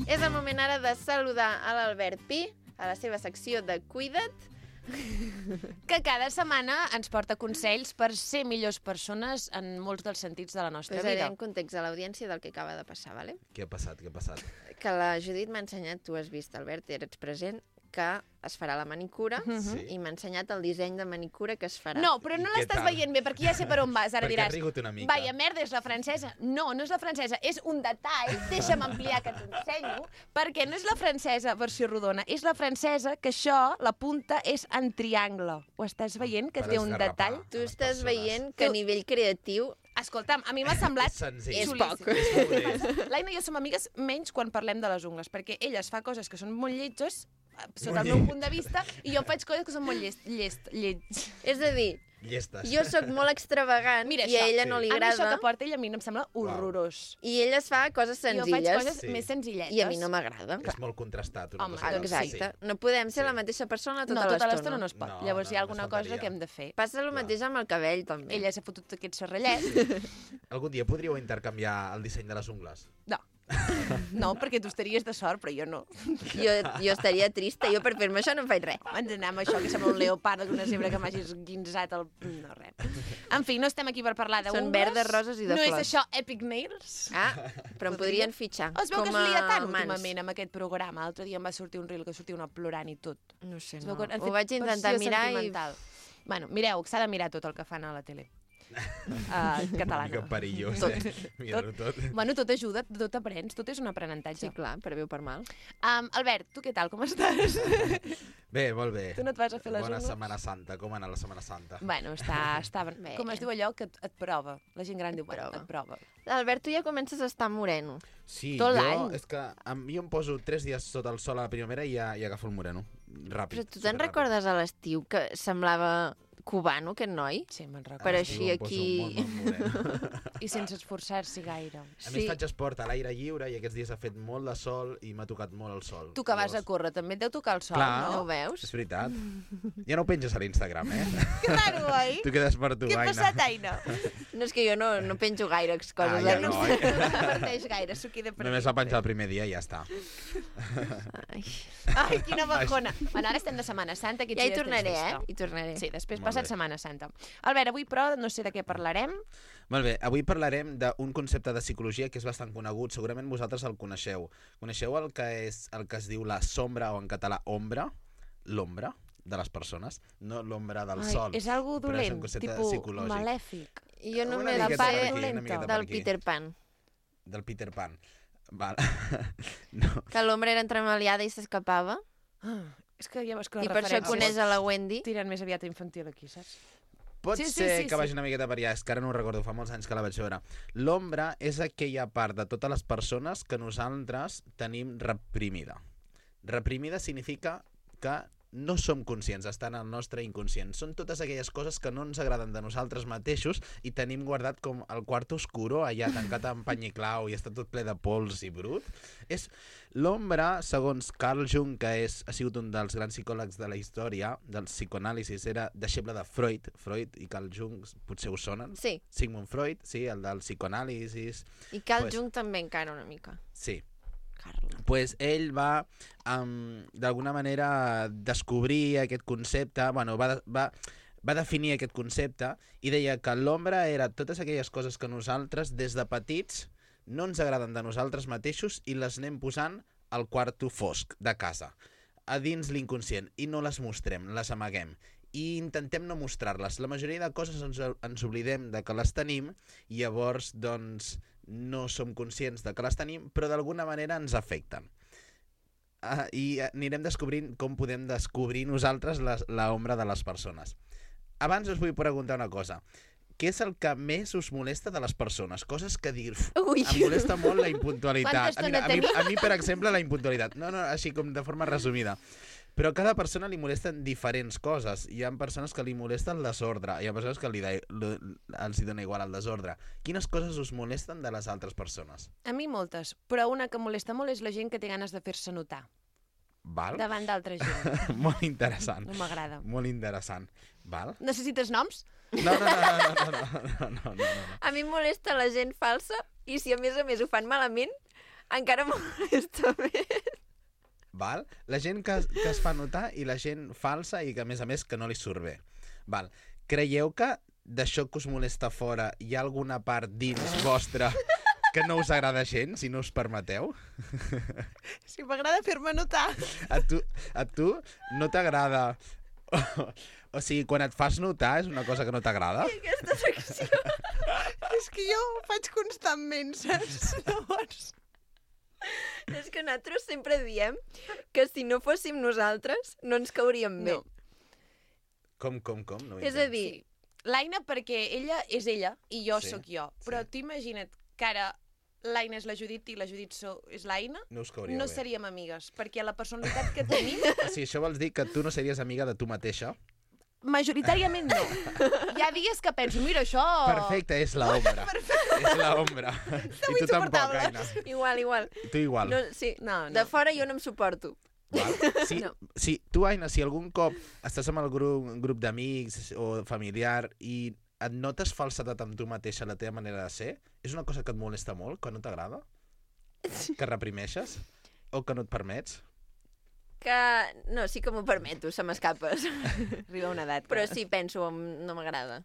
És el moment ara de saludar a l'Albert Pi, a la seva secció de Cuida't, que cada setmana ens porta consells per ser millors persones en molts dels sentits de la nostra posaré vida. en context a l'audiència del que acaba de passar, ¿vale? Què ha passat, què ha passat? Que la Judit m'ha ensenyat, tu has vist, Albert, eres present, que es farà la manicura, Sí. i m'ha ensenyat el disseny de manicura que es farà. No, però I no què l'estàs tal? veient bé, perquè ja sé per on vas. Ara Perquè diràs, ha rigut una mica. vaya merda, és la francesa. No, no és la francesa, és un detall. Deixa'm ampliar que t'ensenyo. Perquè no és la francesa versió rodona, és la francesa que això, la punta, és en triangle. Ho estàs veient, que Per té un esgarrapar detall? a Tu les estàs persones. veient que a nivell creatiu Escolta'm, a mi m'ha semblat... És senzill. és xulíssim. poc. És modest. L'Aina i jo som amigues menys quan parlem de les ungles, perquè ella es fa coses que són molt lletges, eh, sota el Molt meu punt de vista, i jo faig coses que són molt llest, llest, llets. És a dir, Llestes. jo sóc molt extravagant Mira i a això. ella Sí. no li A mi això agrada, que porta ella a mi no em sembla horrorós. i ella es fa coses Jo faig senzilles, coses Sí. més senzilletes. i a mi no m'agrada. És molt contrastat. Una Home, cosa que l'altra. Exacte. No podem ser Sí. la mateixa persona tota No, tota l'estona l'estona. no es pot. No, Llavors no, hi ha només alguna cosa faltaria. que hem de fer. Passa el mateix amb el cabell, també. Ella s'ha fotut aquest serrellet. Algun dia podríeu intercanviar el disseny de les ungles? No. No, perquè tu estaries de sort, però jo no. Jo, jo estaria trista, jo per fer-me això no em faig res. Ens anem amb això, que sembla un leopard d'una zebra que m'hagis guinzat el... No, res. En fi, no estem aquí per parlar d'ungles. Són verdes, roses i de no flors. No és això Epic Nails? Ah, però em podrien fitxar. Es veu que com es lia a tant mans. últimament amb aquest programa. L'altre dia em va sortir un reel que sortia una plorant i tot. No sé, Es no. veu que han Ho fet vaig intentar versió mirar i... sentimental. Bueno, mireu, s'ha de mirar tot el que fan a la tele. Uh, Una mica catalana. perillós, Tot. eh? Mira-ho tot. Bueno, tot ajuda, tot aprens, tot és un aprenentatge. Sí, clar, per bé o per mal. Um, Albert, tu què tal, com estàs? Bé, molt bé. Tu no et vas a fer les Bona ungles? Setmana Santa. Com ha anat la Setmana Santa? Bueno, està, està... Bé. Com es diu allò que et, et prova? La gent gran diu, bueno, prova. et prova. Albert, tu ja comences a estar moreno. Sí, Tot jo, l'any. és que em, jo em poso tres dies sota el sol a la primavera i ja, ja agafo el moreno. Ràpid. Però tu te'n superràpid. recordes a l'estiu que semblava cubano, aquest noi? Sí, me'n recordo. Per Ah, així jo em poso aquí- molt, molt moreno. I sense esforçar-s'hi gaire. A més, faig esport a l'aire lliure i aquests dies ha fet molt de sol i m'ha tocat molt el sol. Tu que vas a Llavors- córrer, també et deu tocar el sol, Clar. No ho no? veus? És veritat. Ja no ho penges a l'Instagram, eh? Que raro, oi? Tu quedes per tu, Què ha Aina. passat, Aina? No, és que jo no, no penjo gaire coses. Ah, ja a no, l'Insta. eh? No comparteix gaire, s'ho queda per Només aquí. la penja el primer dia i ja està. Ai. Ai, quina bajona. Bueno, ara estem de Setmana Santa. aquests Ja hi dies tornaré, tens eh? festa. Hi tornaré. Sí, després Molt passat bé. Setmana Santa. Albert, avui, però, no sé de què parlarem. Molt bé, avui parlarem d'un concepte de psicologia que és bastant conegut, segurament vosaltres el coneixeu. Coneixeu el que és el que es diu la sombra o en català ombra? L'ombra de les persones, no l'ombra del Ai, sol. és algo però és dolent, un concepte tipus psicològic. malèfic. Jo Una només miqueta la per part aquí, una dolenta. miqueta per del aquí. Peter Pan. Del Peter Pan. Val. no. Que l'ombra era entremaliada i s'escapava. Ah, és que ja veus que I les per això referències coneix a la Wendy. tiren més aviat a infantil aquí, saps? Pot Sí, sí, ser sí, que sí. vagi una miqueta per allà, és que ara no ho recordo, fa molts anys que la vaig veure. L'ombra és aquella part de totes les persones que nosaltres tenim reprimida. Reprimida significa que no som conscients, estan al nostre inconscient. Són totes aquelles coses que no ens agraden de nosaltres mateixos i tenim guardat com el quart oscuro, allà tancat amb pany i clau i està tot ple de pols i brut. És l'ombra, segons Carl Jung, que és, ha sigut un dels grans psicòlegs de la història, del psicoanàlisis, era deixeble de Freud. Freud i Carl Jung potser us sonen? Sí, Sigmund Freud, sí, el del psicoanàlisis. i Carl Pues- Jung també encara una mica. Sí, Carla. pues ell va, um, d'alguna manera, descobrir aquest concepte, bueno, va, va, va definir aquest concepte i deia que l'ombra era totes aquelles coses que nosaltres, des de petits, no ens agraden de nosaltres mateixos i les anem posant al quarto fosc de casa, a dins l'inconscient, i no les mostrem, les amaguem. I intentem no mostrar-les. La majoria de coses ens, ens oblidem de que les tenim i llavors, doncs, no som conscients de que les tenim, però d'alguna manera ens afecten. Uh, I anirem descobrint com podem descobrir nosaltres la, la ombra de les persones. Abans us vull preguntar una cosa. Què és el que més us molesta de les persones? Coses que dir... Ui. Em molesta molt la Quanta impuntualitat. estona Mira, a, mi, tenim? a mi, per exemple, la impuntualitat. No, no, així com de forma resumida. Però a cada persona li molesten diferents coses. Hi ha persones que li molesta el desordre, hi ha persones que li de, li, els hi dona igual el desordre. Quines coses us molesten de les altres persones? A mi moltes, però una que molesta molt és la gent que té ganes de fer-se notar Val? davant d'altra gent. Molt interessant. No m'agrada. Molt interessant. Val? Necessites noms? No, no, no, no, no, no, no, no, no, no. A mi em molesta la gent falsa i si a més a més ho fan malament, Encara molesta més. Val? La gent que, que es fa notar i la gent falsa i que, a més a més, que no li surt bé. Val? Creieu que d'això que us molesta fora hi ha alguna part dins vostra que no us agrada gens, si no us permeteu? Si m'agrada fer-me notar. A tu, a tu no t'agrada... O, o sigui, quan et fas notar és una cosa que no t'agrada? Aquesta secció... És que jo ho faig constantment, saps? Llavors... És que nosaltres sempre diem que si no fóssim nosaltres no ens cauríem bé. No. Com, com, com? No ho És a entenc. dir, L'Aina, perquè ella és ella i jo Sí, sóc jo. Però sí. tu imagina't que ara l'Aina és la Judit i la Judit so, és l'Aina, No us cauria no bé. seríem amigues, perquè la personalitat que tenim, O sigui, això vols dir que tu no series amiga de tu mateixa? majoritàriament no. Hi ha dies que penso, mira, això... Perfecte, és la ombra. És la ombra. I tu tampoc, insuportables. Aina. igual, igual. I tu igual. No, sí, No, no. de fora jo no em suporto. Val? Sí, No. sí, tu, Aina, si algun cop estàs amb el grup, grup d'amics o familiar i et notes falsedat amb tu mateixa, la teva manera de ser, és una cosa que et molesta molt, que no t'agrada? Que reprimeixes? O que no et permets? Que... No, sí que m'ho permeto, se m'escapes. Arriba una edat. Però sí, penso, no m'agrada.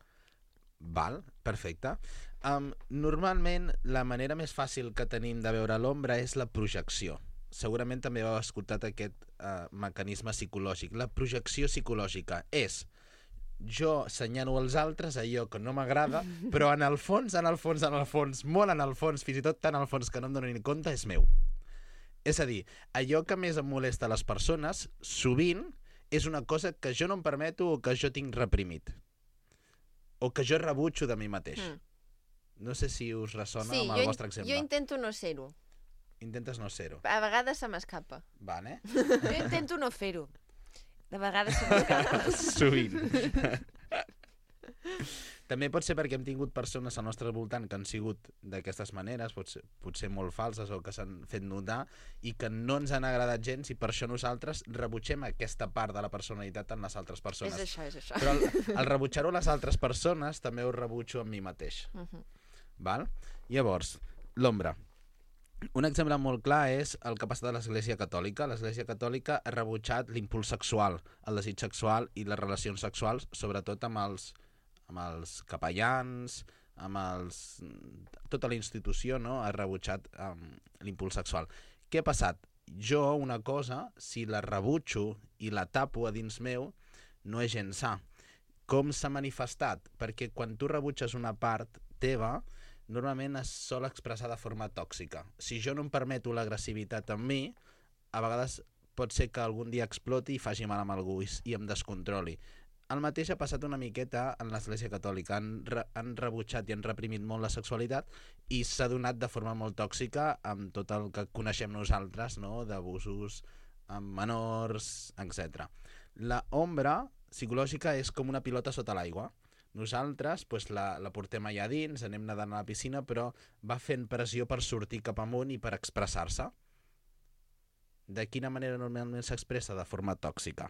Val, perfecte. Um, normalment, la manera més fàcil que tenim de veure l'ombra és la projecció. Segurament també heu escoltat aquest uh, mecanisme psicològic. La projecció psicològica és jo senyalo als altres allò que no m'agrada, però en el fons, en el fons, en el fons, molt en el fons, fins i tot tan al fons que no em dono ni compte, és meu. És a dir, allò que més em molesta a les persones, sovint, és una cosa que jo no em permeto o que jo tinc reprimit. O que jo rebutjo de mi mateix. Mm. No sé si us ressona Sí, amb jo, el in- vostre exemple. jo intento no ser-ho. Intentes no ser-ho. A vegades se m'escapa. Vale. Jo intento no fer-ho. De vegades se m'escapa. Sovint. També pot ser perquè hem tingut persones al nostre voltant que han sigut d'aquestes maneres, potser, potser molt falses o que s'han fet notar i que no ens han agradat gens i per això nosaltres rebutgem aquesta part de la personalitat en les altres persones. És això, és això. Però al, al rebutjar-ho a les altres persones també ho rebutjo amb mi mateix. Uh -huh. Val? Llavors, l'ombra. Un exemple molt clar és el que ha passat a l'Església Catòlica. L'Església Catòlica ha rebutjat l'impuls sexual, el desig sexual i les relacions sexuals, sobretot amb els, amb els capellans, amb els... tota la institució, no?, ha rebutjat um, l'impuls sexual. Què ha passat? Jo, una cosa, si la rebutjo i la tapo a dins meu, no és gens sa. Com s'ha manifestat? Perquè quan tu rebutges una part teva, normalment es sol expressar de forma tòxica. Si jo no em permeto l'agressivitat en mi, a vegades pot ser que algun dia exploti i faci mal amb algú i, i em descontroli. El mateix ha passat una miqueta en l'Església Catòlica. Han, re, han rebutjat i han reprimit molt la sexualitat i s'ha donat de forma molt tòxica amb tot el que coneixem nosaltres, no?, d'abusos amb menors, etcètera. La ombra psicològica és com una pilota sota l'aigua. Nosaltres pues, la, la portem allà dins, anem nedant a la piscina, però va fent pressió per sortir cap amunt i per expressar-se. De quina manera normalment s'expressa? De forma tòxica.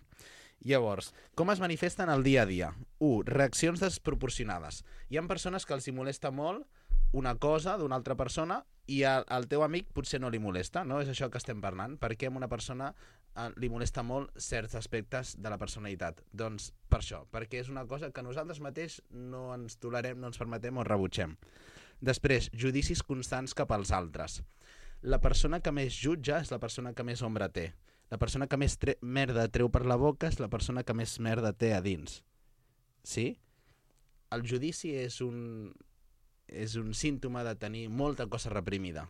Llavors, com es manifesta en el dia a dia? u. Reaccions desproporcionades. Hi ha persones que els hi molesta molt una cosa d'una altra persona i al, al teu amic potser no li molesta, no? És això que estem parlant. Per què a una persona eh, li molesta molt certs aspectes de la personalitat? Doncs per això, perquè és una cosa que nosaltres mateix no ens tolerem, no ens permetem o rebutgem. Després, judicis constants cap als altres. La persona que més jutja és la persona que més ombra té. La persona que més tre merda treu per la boca és la persona que més merda té a dins. Sí? El judici és un, és un símptoma de tenir molta cosa reprimida.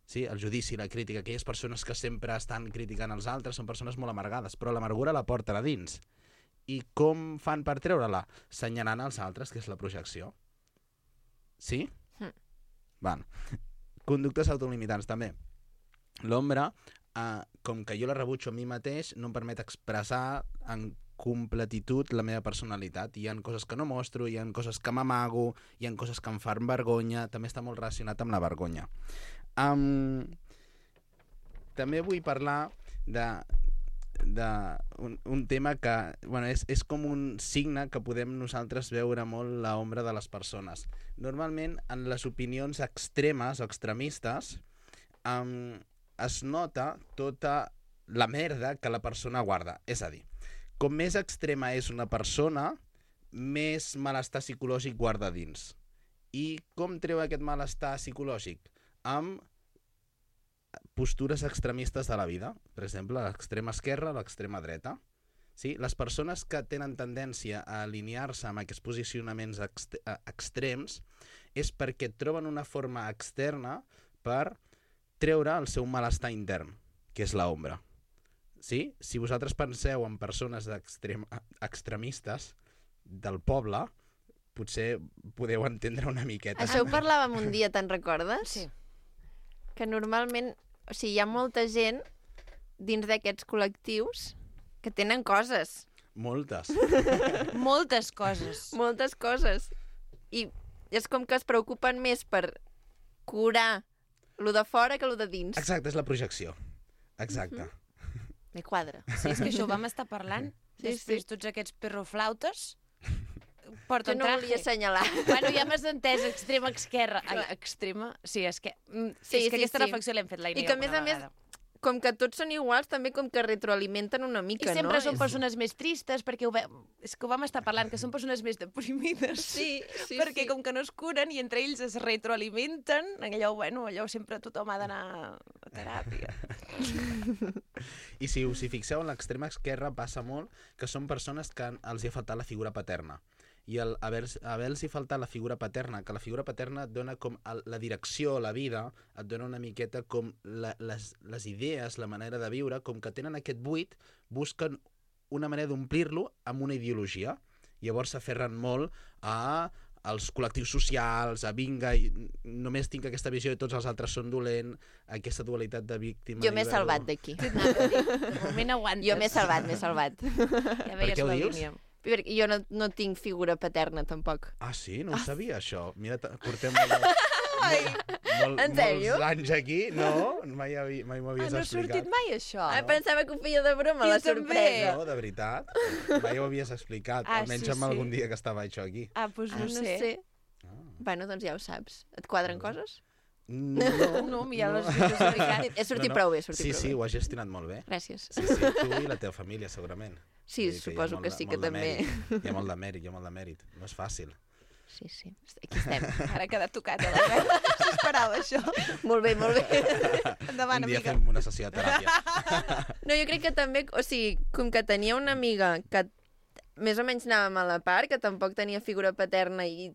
Sí? El judici, la crítica, aquelles persones que sempre estan criticant els altres són persones molt amargades, però l'amargura la porten a dins. I com fan per treure-la? Senyalant els altres, que és la projecció. Sí? Mm. Van. Conductes autolimitants, també. L'ombra, eh, com que jo la rebutjo a mi mateix, no em permet expressar en completitud la meva personalitat. Hi ha coses que no mostro, hi ha coses que m'amago, hi ha coses que em fan vergonya, també està molt relacionat amb la vergonya. Um, també vull parlar de, de un, un tema que bueno, és, és com un signe que podem nosaltres veure molt l'ombra de les persones. Normalment, en les opinions extremes o extremistes, um, es nota tota la merda que la persona guarda. És a dir, com més extrema és una persona, més malestar psicològic guarda dins. I com treu aquest malestar psicològic? Amb postures extremistes de la vida. Per exemple, l'extrema esquerra, l'extrema dreta. Sí? Les persones que tenen tendència a alinear-se amb aquests posicionaments ext extrems és perquè troben una forma externa per treure el seu malestar intern, que és l'ombra. Sí? Si vosaltres penseu en persones extremistes del poble, potser podeu entendre una miqueta. Això ho parlàvem un dia, te'n recordes? Sí. Que normalment, o sigui, hi ha molta gent dins d'aquests col·lectius que tenen coses. Moltes. Moltes coses. Moltes coses. I és com que es preocupen més per curar lo de fora que lo de dins. Exacte, és la projecció. Exacte. Me quadra. Sí, és que això ho vam estar parlant. Sí, Després sí. tots aquests perroflautes Jo porten no traje. volia assenyalar. Bueno, ja m'has entès, extrema esquerra. Ai, extrema? Sí, és que, mm, Sí, és que sí, aquesta sí. reflexió l'hem fet la I Irene que, a més alguna a més, vegada. com que tots són iguals, també com que retroalimenten una I mica, sempre no? són És- persones més tristes, perquè ho ve... és que ho vam estar parlant, que són persones més deprimides. Sí, sí, perquè sí. com que no es curen i entre ells es retroalimenten, allò, bueno, allò sempre tothom ha d'anar a teràpia. I si us hi fixeu, en l'extrema esquerra passa molt que són persones que els hi ha faltat la figura paterna. I el haver-los haver faltat la figura paterna, que la figura paterna et dona com el, la direcció, la vida, et dona una miqueta com la, les, les idees, la manera de viure, com que tenen aquest buit, busquen una manera d'omplir-lo amb una ideologia. Llavors s'aferren molt a als col·lectius socials, a vinga, i només tinc aquesta visió i tots els altres són dolents, aquesta dualitat de víctima... Jo m'he i verdo. salvat d'aquí. De moment aguantes. Jo m'he salvat, m'he salvat. Ja Per veies què ho la dius? línia. Perquè jo no, no tinc figura paterna, tampoc. Ah, sí? No ho sabia, això. Mira, t- portem molt, molt, molt, En sèrio? molts anys aquí. No, mai, havi, mai m'ho Ah, havies no ha explicat. sortit mai, això? Ah, pensava que ho feia de broma, Jo la també. sorpresa. No, de veritat. Mai ho havies explicat. Ah, Almenys sí, amb sí. algun dia que estava això aquí. Ah, doncs Ah, no, no sé. sé. Ah. Bueno, doncs ja ho saps. Et quadren coses? No, No, ja l'has explicat. He sortit prou bé, he sortit Sí, prou sí, bé. ho has gestionat molt bé. Gràcies. Sí, sí, tu i la teva família, segurament. Sí, Vull dir suposo hi ha que molt sí de- que molt de també. mèrit. Hi ha molt de mèrit, hi ha molt de mèrit. No és fàcil. Sí, sí. Aquí estem. Ara ha quedat tocat a la veu. No s'esperava això. Molt bé, molt bé. Endavant, Un dia amiga. fem una sessió de teràpia. No, jo crec que també, o sigui, com que tenia una amiga que més o menys anàvem a la part, que tampoc tenia figura paterna i...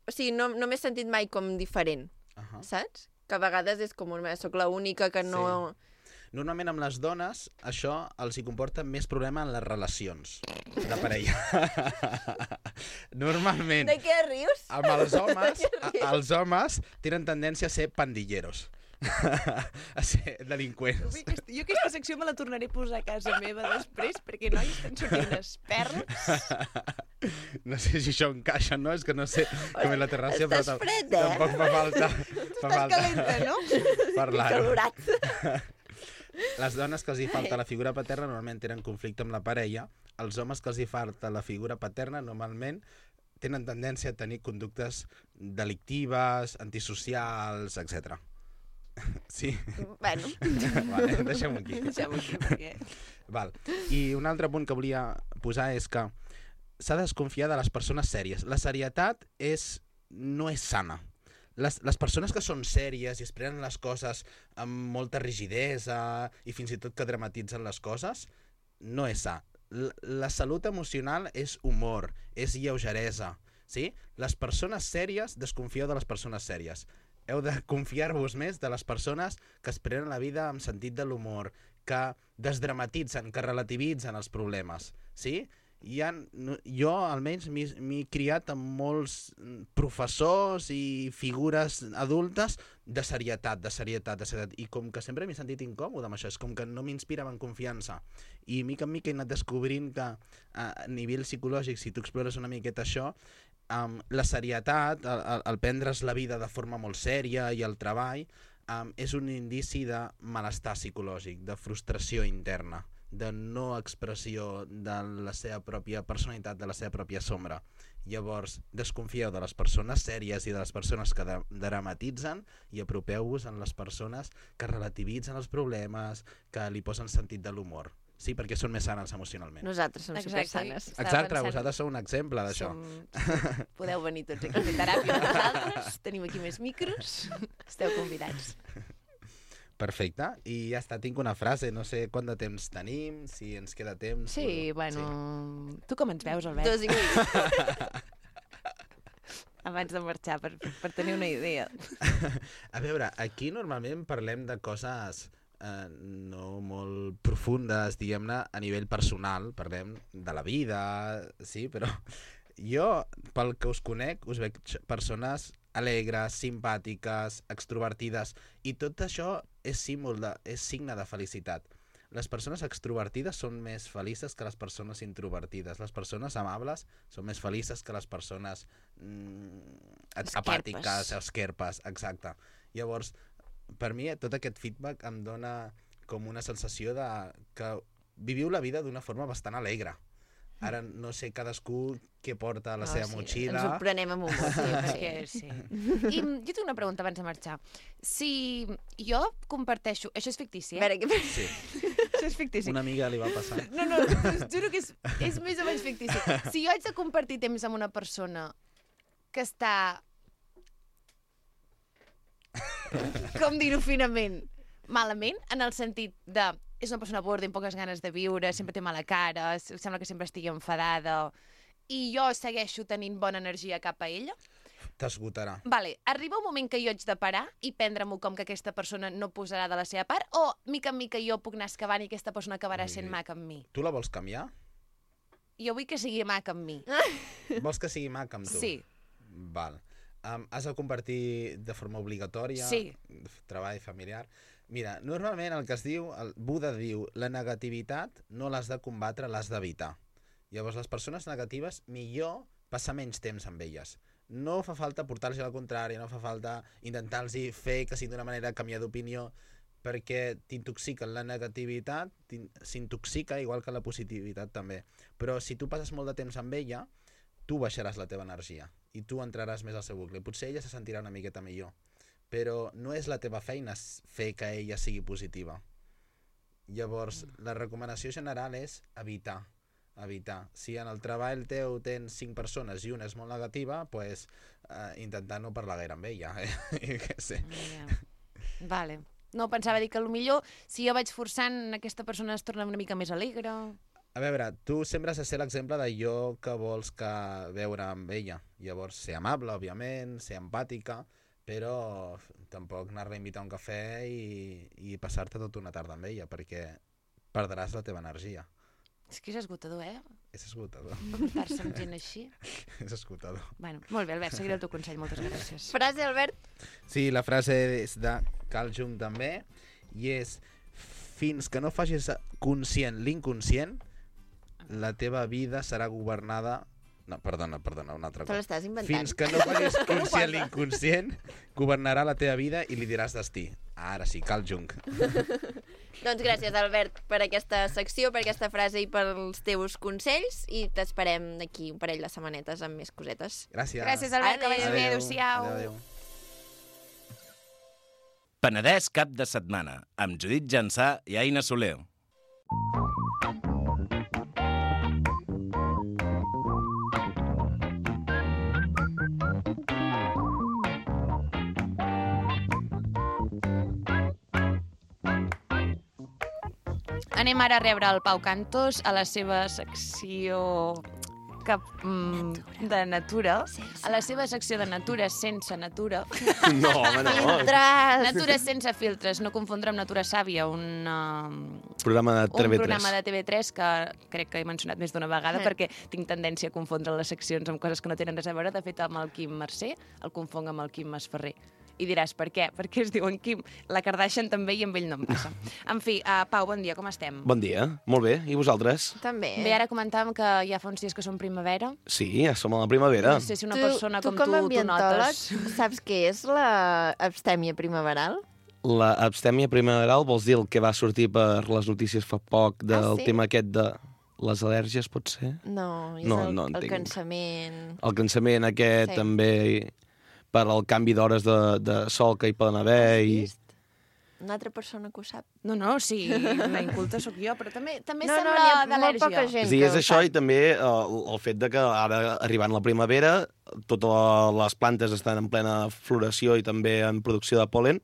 O sigui, no, no m'he sentit mai com diferent, Uh-huh. saps? Que a vegades és com, una, soc l'única que no... Normalment amb les dones això els hi comporta més problema en les relacions de parella. Normalment De què rius? amb els homes, a, els homes tenen tendència a ser pandilleros. A ser delinqüents. Jo aquesta secció me la tornaré a posar a casa meva després, perquè no hi estan sortint unes perles. No sé si això encaixa, no? És que no sé com és la terràcia, però Estàs tam- fred, eh? tampoc fa falta, fa Estàs falta calenta, no? parlar-ho. Calorat. Les dones que els hi falta la figura paterna normalment tenen conflicte amb la parella. Els homes que els hi falta la figura paterna normalment tenen tendència a tenir conductes delictives, antisocials, etcètera. Sí? Bueno, Vale, deixem-ho aquí. Deixem-ho aquí, perquè... Val. I un altre punt que volia posar és que s'ha de desconfiar de les persones sèries. La serietat és, no és sana. Les, les persones que són sèries i es prenen les coses amb molta rigidesa i fins i tot que dramatitzen les coses, no és sa. La, la salut emocional és humor, és lleugeresa. Sí? Les persones sèries, desconfieu de les persones sèries. Heu de confiar-vos més de les persones que es prenen la vida amb sentit de l'humor, que desdramatitzen, que relativitzen els problemes. Sí? Hi ha, no, jo almenys m'he criat amb molts professors i figures adultes de serietat, de serietat, de serietat. I com que sempre m'he sentit incòmode amb això, és com que no m'inspiraven confiança. I mica en mica he anat descobrint que a nivell psicològic, si tu explores una miqueta això, um, la serietat, el, el, el prendre's la vida de forma molt sèria i el treball, um, és un indici de malestar psicològic, de frustració interna, de no expressió de la seva pròpia personalitat, de la seva pròpia sombra. Llavors, desconfieu de les persones sèries i de les persones que dramatitzen i apropeu-vos en les persones que relativitzen els problemes, que li posen sentit de l'humor. Sí, perquè són més sanes emocionalment. Nosaltres som Exacte. supersanes. Exacte, vosaltres sou un exemple d'això. Som... Podeu venir tots aquí a fer teràpia amb nosaltres. Tenim aquí més micros. Esteu convidats. Perfecte. I ja està, tinc una frase. No sé quant de temps tenim, si ens queda temps. Sí, però... bueno... Sí. Tu com ens veus, Albert? Dos i mig. Abans de marxar, per, per tenir una idea. A veure, aquí normalment parlem de coses eh, no molt profundes, diguem-ne, a nivell personal. Parlem de la vida, sí, però jo, pel que us conec, us veig persones alegres, simpàtiques, extrovertides, i tot això és símbol de, és signe de felicitat. Les persones extrovertides són més felices que les persones introvertides. Les persones amables són més felices que les persones mm, apàtiques, esquerpes, exacte. Llavors, per mi, tot aquest feedback em dona com una sensació de que viviu la vida d'una forma bastant alegre. Ara no sé cadascú què porta a la No, seva sí, motxilla. ens ho prenem amb humor. Sí, perquè sí. I jo tinc una pregunta abans de marxar. Si jo comparteixo... Això és fictici, A eh? veure, què... Sí, Això és fictici. una amiga li va passar. No, no, us juro que és, és més o menys fictici. Si jo haig de compartir temps amb una persona que està... Com dir-ho finament? Malament, en el sentit de... És una persona borda, amb poques ganes de viure, sempre té mala cara, sembla que sempre estigui enfadada, i jo segueixo tenint bona energia cap a ella. T'esgotarà. Vale, arriba un moment que jo haig de parar i prendre-m'ho com que aquesta persona no posarà de la seva part, o mica en mica jo puc anar excavant i aquesta persona acabarà sent maca amb mi? Tu la vols canviar? Jo vull que sigui maca amb mi. Vols que sigui maca amb tu? Sí. Val. Um, has de compartir de forma obligatòria? Sí. Treball familiar? Mira, normalment el que es diu, el Buda diu, la negativitat no l'has de combatre, l'has d'evitar. Llavors, les persones negatives, millor passar menys temps amb elles. No fa falta portar-los a la contrària, no fa falta intentar-los fer que sigui d'una manera canviar d'opinió, perquè t'intoxiquen. La negativitat s'intoxica igual que la positivitat també. Però si tu passes molt de temps amb ella, tu baixaràs la teva energia i tu entraràs més al seu bucle. Potser ella se sentirà una miqueta millor, però no és la teva feina fer que ella sigui positiva. Llavors, la recomanació general és evitar. evitar. Si en el treball teu tens cinc persones i una és molt negativa, pues, eh, intentar no parlar gaire amb ella. Eh? Que sé. Yeah. Vale. No, pensava dir que potser si jo vaig forçant, aquesta persona es torna una mica més alegre. A veure, tu sempre has de ser l'exemple d'allò que vols que veure amb ella. Llavors, ser amable, òbviament, ser empàtica, però tampoc anar-la a invitar a un cafè i, i passar-te tota una tarda amb ella, perquè perdràs la teva energia. És que és esgotador, eh? És esgotador. Portar-se amb gent així. És esgotador. Bueno, molt bé, Albert, seguiré el teu consell, moltes gràcies. Frase, Albert? Sí, la frase és de Carl Jung també, i és: fins que no facis conscient l'inconscient, la teva vida serà governada... No, perdona, perdona, un altre Te cop. l'estàs inventant. Fins que no facis conscient l'inconscient, governarà la teva vida i li diràs destí. Ara sí, Carl Jung. Doncs gràcies, Albert, per aquesta secció, per aquesta frase i pels teus consells, i t'esperem d'aquí un parell de setmanetes amb més cosetes. Gràcies. Gràcies, Albert, que vagi bé, Adéu. adéu-siau. Adéu, adéu. Penedès cap de setmana, amb Judit Jansà i Aina Soler. Anem ara a rebre el Pau Cantos a la seva secció que, mm, de natura, a la seva secció de natura sense natura. No, home, no. Filtres! Natura sense filtres, no confondre amb Natura Sàvia, un, uh, Programa de un T V tres. programa de T V tres que crec que he mencionat més d'una vegada Eh. perquè tinc tendència a confondre les seccions amb coses que no tenen res a veure. De fet, amb el Quim Mercè el confonc amb el Quim Masferrer. I diràs, per què? Perquè es diuen Quim. La Kardashian també i amb ell no em passa. En fi, uh, Pau, bon dia, com estem? Bon dia, molt bé. I vosaltres? També. Bé, ara comentàvem que ja fa uns dies que som primavera. Sí, ja som a la primavera. No sé si una tu, persona tu com com a tu, tu ambientòleg, notes. saps què és la abstèmia primaveral? La abstèmia primaveral vols dir el que va sortir per les notícies fa poc del Ah, sí? tema aquest de les al·lèrgies, pot ser? No, és No, el, no el entenc. cansament... El cansament aquest Sí. també per al canvi d'hores de, de sol que hi poden haver Has i... vist? Una altra persona que ho sap. No, no, sí, la inculta sóc jo, però també, també No, no, sembla n'hi ha molt d'al·lèrgia. poca gent És a dir, que és ho això sap. i també el, el fet de que ara, arribant la primavera, totes les plantes estan en plena floració i també en producció de pol·len,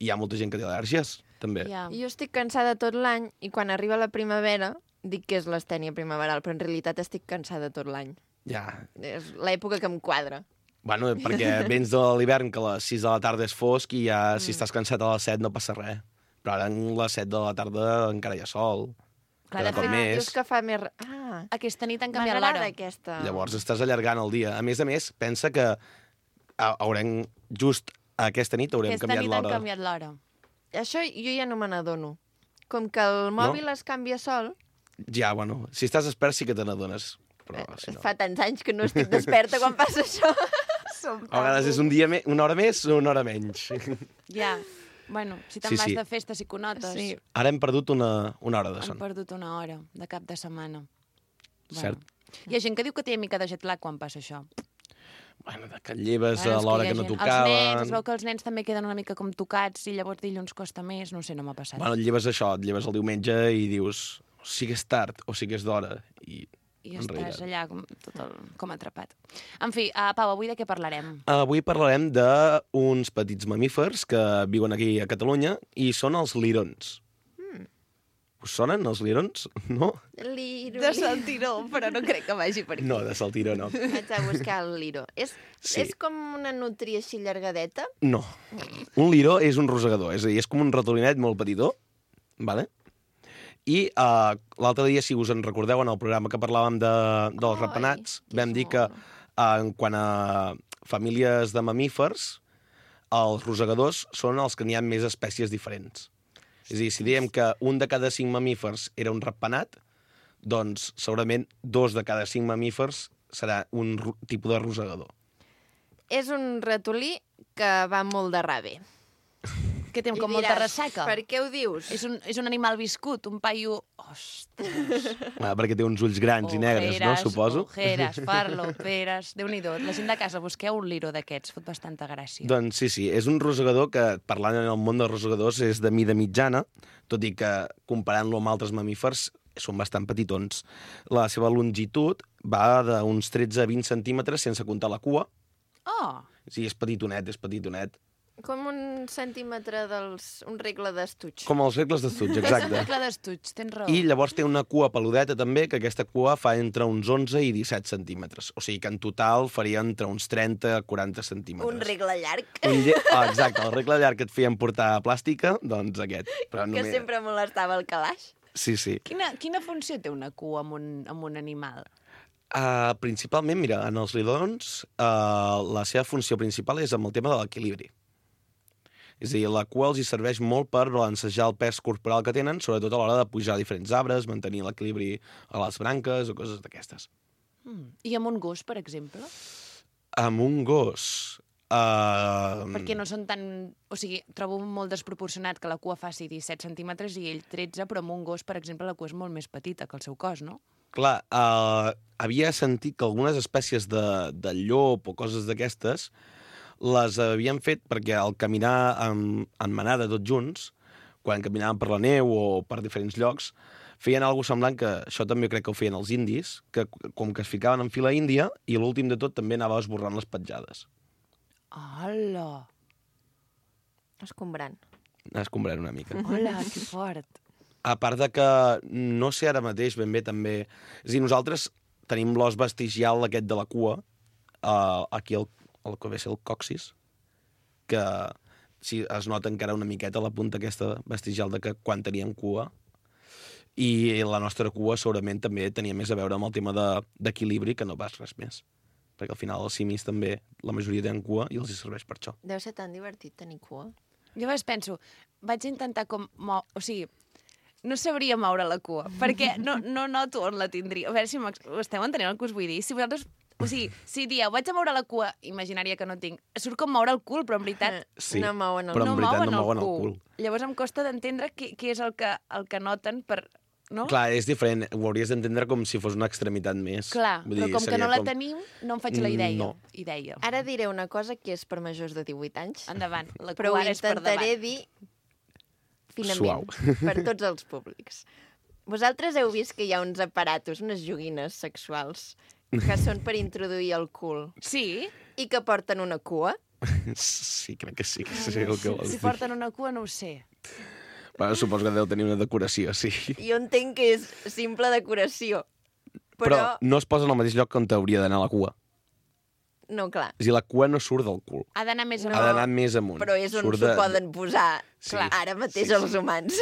i hi ha molta gent que té al·lèrgies, també. Ja. Jo estic cansada tot l'any i quan arriba la primavera dic que és l'astènia primaveral, però en realitat estic cansada tot l'any. Ja. És l'època que em quadra. Bueno, perquè vens de l'hivern que a les sis de la tarda és fosc i ja si estàs cansat a les set no passa res. Però ara a les set de la tarda encara hi ha sol. Clar, Cada de cop fet, més. Dius que fa més... re- Ah, Aquesta nit han canviat m'agrada l'hora. aquesta... Llavors estàs allargant el dia. A més a més, pensa que ha- haurem, just aquesta nit haurem Aquesta canviat nit han l'hora. canviat l'hora. Això jo ja no me n'adono. Com que el mòbil es canvia sol, Ja, bueno, si estàs expert sí que te n'adones. Però eh, si no... fa tants anys que no estic desperta quan passa això. Som A vegades és un dia me... una hora més o una hora menys. Ja. Bueno, si te'n Sí, vas sí. de festa, sí que ho notes. Sí. Ara hem perdut una, una hora de Han son. perdut una hora de cap de setmana. Cert. Hi ha gent que diu que té mica de jet lag quan passa això. Bueno, que et lleves Bueno, a és l'hora hi ha que no gent- Els nens, es tocaven. veu que els nens també queden una mica com tocats i llavors dilluns costa més, no sé, no m'ha passat. Bueno, et lleves això, et lleves el diumenge i dius o sigui és tard o sigui és d'hora. I, I en estàs realitat. allà com, tot el, com atrapat. En fi, uh, Pau, avui de què parlarem? Avui parlarem d'uns petits mamífers que viuen aquí a Catalunya i són els lirons. Hmm. Us sonen els lirons? No? Liro, De liro. Saltiró, però no crec que vagi per aquí. No, de Saltiró no. Vaig a buscar el liro. És, Sí. és com una nutria així llargadeta? No. Un liró és un rosegador, és a dir, és com un ratolinet molt petitó, vale? I uh, l'altre dia, si us en recordeu, en el programa que parlàvem de, dels Ai, ratpenats, que vam dir que mono. uh, en quant a famílies de mamífers, els rosegadors són els que n'hi ha més espècies diferents. És a dir, si diem que un de cada cinc mamífers era un ratpenat, doncs segurament dos de cada cinc mamífers serà un ro- tipus de rosegador. És un ratolí que va molt de rave. Que té I com molta diràs, ressaca. Per què ho dius? És un, és un animal viscut, un paio... Ostres. Ah, perquè té uns ulls grans i negres, no? Suposo. Ojeres, farloperes... Déu-n'hi-do. La gent de casa, busqueu un liro d'aquests, fot bastanta gràcia. Doncs sí, sí, és un rosegador que, parlant en el món dels rosegadors, és de mida mitjana, tot i que, comparant-lo amb altres mamífers, són bastant petitons. La seva longitud va d'uns tretze a vint centímetres sense comptar la cua. Oh! Sí, és petitonet, és petitonet. Com un centímetre dels... un regle d'estuig. Com els regles d'estuig, És un exacte. regle d'estuig, tens raó. I llavors té una cua peludeta també, que aquesta cua fa entre uns onze i disset centímetres. O sigui que en total faria entre uns trenta a quaranta centímetres. Un regle llarg, Un lle... ah, exacte, el regle llarg que et feien portar a plàstica, doncs aquest. Però que sempre molestava el calaix. Sí, sí. Quina, quina funció té una cua amb un, amb un animal? Uh, principalment, mira, en els lidons uh, la seva funció principal és amb el tema de l'equilibri. És a dir, la cua els hi serveix molt per balancejar el pes corporal que tenen, sobretot a l'hora de pujar a diferents arbres, mantenir l'equilibri a les branques o coses d'aquestes. Mm. I amb un gos, per exemple? Amb un gos... Uh, Perquè no són tan... O sigui, trobo molt desproporcionat que la cua faci disset centímetres i ell tretze, però amb un gos, per exemple, la cua és molt més petita que el seu cos, no? Clar, uh, havia sentit que algunes espècies de, de llop o coses d'aquestes les havien fet perquè al caminar en, en manada tots junts, quan caminaven per la neu o per diferents llocs, feien alguna semblant, que això també crec que ho feien els indis, que com que es ficaven en fila índia i l'últim de tot també anava esborrant les petjades. Hola! Escombrant. Anar escombrant una mica. Hola, que fort! A part de que no sé ara mateix ben bé també... És a dir, nosaltres tenim l'os vestigial aquest de la cua, uh, aquí el, el que ve a ser el coxis, que sí, es nota encara una miqueta la punta aquesta vestigial de que quan teníem cua, i la nostra cua segurament també tenia més a veure amb el tema de- d'equilibri que no pas res més. Perquè al final els simis també, la majoria tenen cua i els hi serveix per això. Deu ser tan divertit tenir cua. Jo a vegades penso, vaig intentar com... Mo... O sigui, no sabria moure la cua, perquè no, no noto on la tindria. A veure si m'ex- ho esteu entenent el que us vull dir. Si vosaltres O sigui, si dieu, vaig a moure la cua imaginària que no tinc, surt com moure el cul, però en veritat Sí, No mouen el però en no veritat mouen no el mouen el cul. cul. Llavors em costa d'entendre què, què és el que, el que noten per... No? Clar, és diferent. Ho hauries d'entendre com si fos una extremitat més. Clar, Vull però dir, com que seria no la com- tenim, no em faig la idea. No. idea. Ara diré una cosa que és per majors de divuit anys, Endavant, la però ho cua ara és per intentaré davant. dir finament, Suau. per tots els públics. Vosaltres heu vist que hi ha uns aparatos, unes joguines sexuals, que són per introduir el cul Sí, i que porten una cua? Sí, crec que sí, que sí el que vols si dir. porten una cua no ho sé. Bueno, suposo que deu tenir una decoració, sí. Jo entenc que és simple decoració, Però, però, no es posa en el mateix lloc on hauria d'anar la cua. no, clar, És a dir, la cua no surt del cul. Ha d'anar més No. Ha amunt. d'anar més amunt. però és on Surt s'ho de- poden posar Sí. clar, ara mateix Sí, sí. els humans.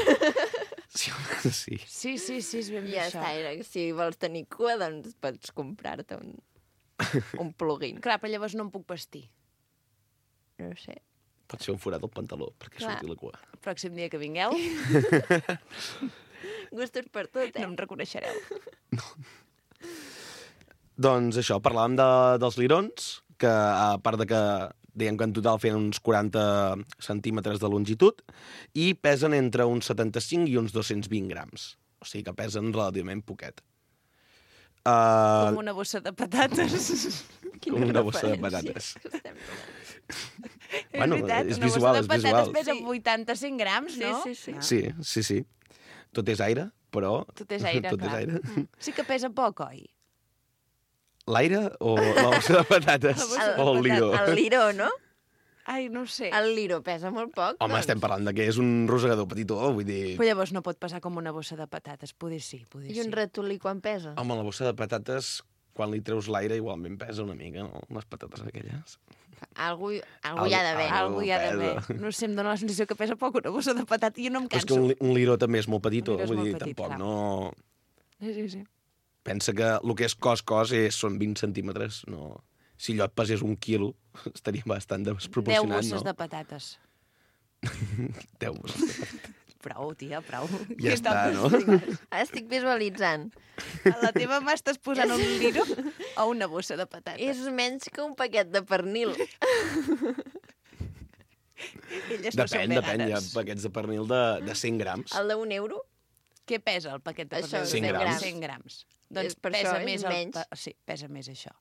Sí, sí. Sí, sí, sí, és ben I bé ja això. està, era, si vols tenir cua, doncs pots comprar-te un, un plugin. Clar, però llavors no em puc vestir. No ho sé. Pot ser un forat al pantaló, perquè Clar. surti la cua. El pròxim dia que vingueu Gustos per tot, no eh? em reconeixereu. Doncs això, parlàvem de, dels lirons, que a part de que dèiem que en total feien uns quaranta centímetres de longitud i pesen entre uns setanta-cinc i uns dos-cents vint grams. O sigui que pesen relativament poquet. Uh, Com una bossa de patates. com una bossa de referència patates. que estem fent. Bueno, és veritat, és una visual, bossa és de patates visual. pesa Sí. vuitanta-cinc grams, Sí, no? sí, sí. Ah. Sí, sí, sí. Tot és aire, però... Tot és aire, Tot clar. és aire. Sí que pesa poc, oi? L'aire o la bossa de patates? La bossa de o el liró? El liró, no? Ai, no ho sé. El liró pesa molt poc, Home, doncs. estem parlant de que és un rosegador petitó, vull dir... Però llavors no pot pesar com una bossa de patates. Poder sí, poder I sí. un ratolí quan pesa? Home, la bossa de patates, quan li treus l'aire, igualment pesa una mica, no? Les patates aquelles. Algú, algú hi ha d'haver. Algú Algú hi ha d'haver. pesa. No sé, em dóna la sensació que pesa poc una bossa de patata i jo no em Però és que canso. un, li- un liró també és molt petitó, Un liró és vull molt dir, petit, tampoc, clar. no... Sí, sí, sí. Pensa que el que és cos-cos és, són vint centímetres, no... Si allò et pesés un quilo, estaria bastant Deu desproporcionat, bosses no? de patates. Deu bosses. Prou, tia, prou. Ja està, no? Ara estic visualitzant. A la teva mà estàs posant un liro o una bossa de patates. És menys que un paquet de pernil. Elles no són Depèn, depèn, hi ha veganes. paquets de pernil de, de cent grams. El d'un euro? Què pesa el paquet de Això, pernil? cent grams. cent grams. Doncs És per pesa això, és més el menys. pa- Sí, pesa més això.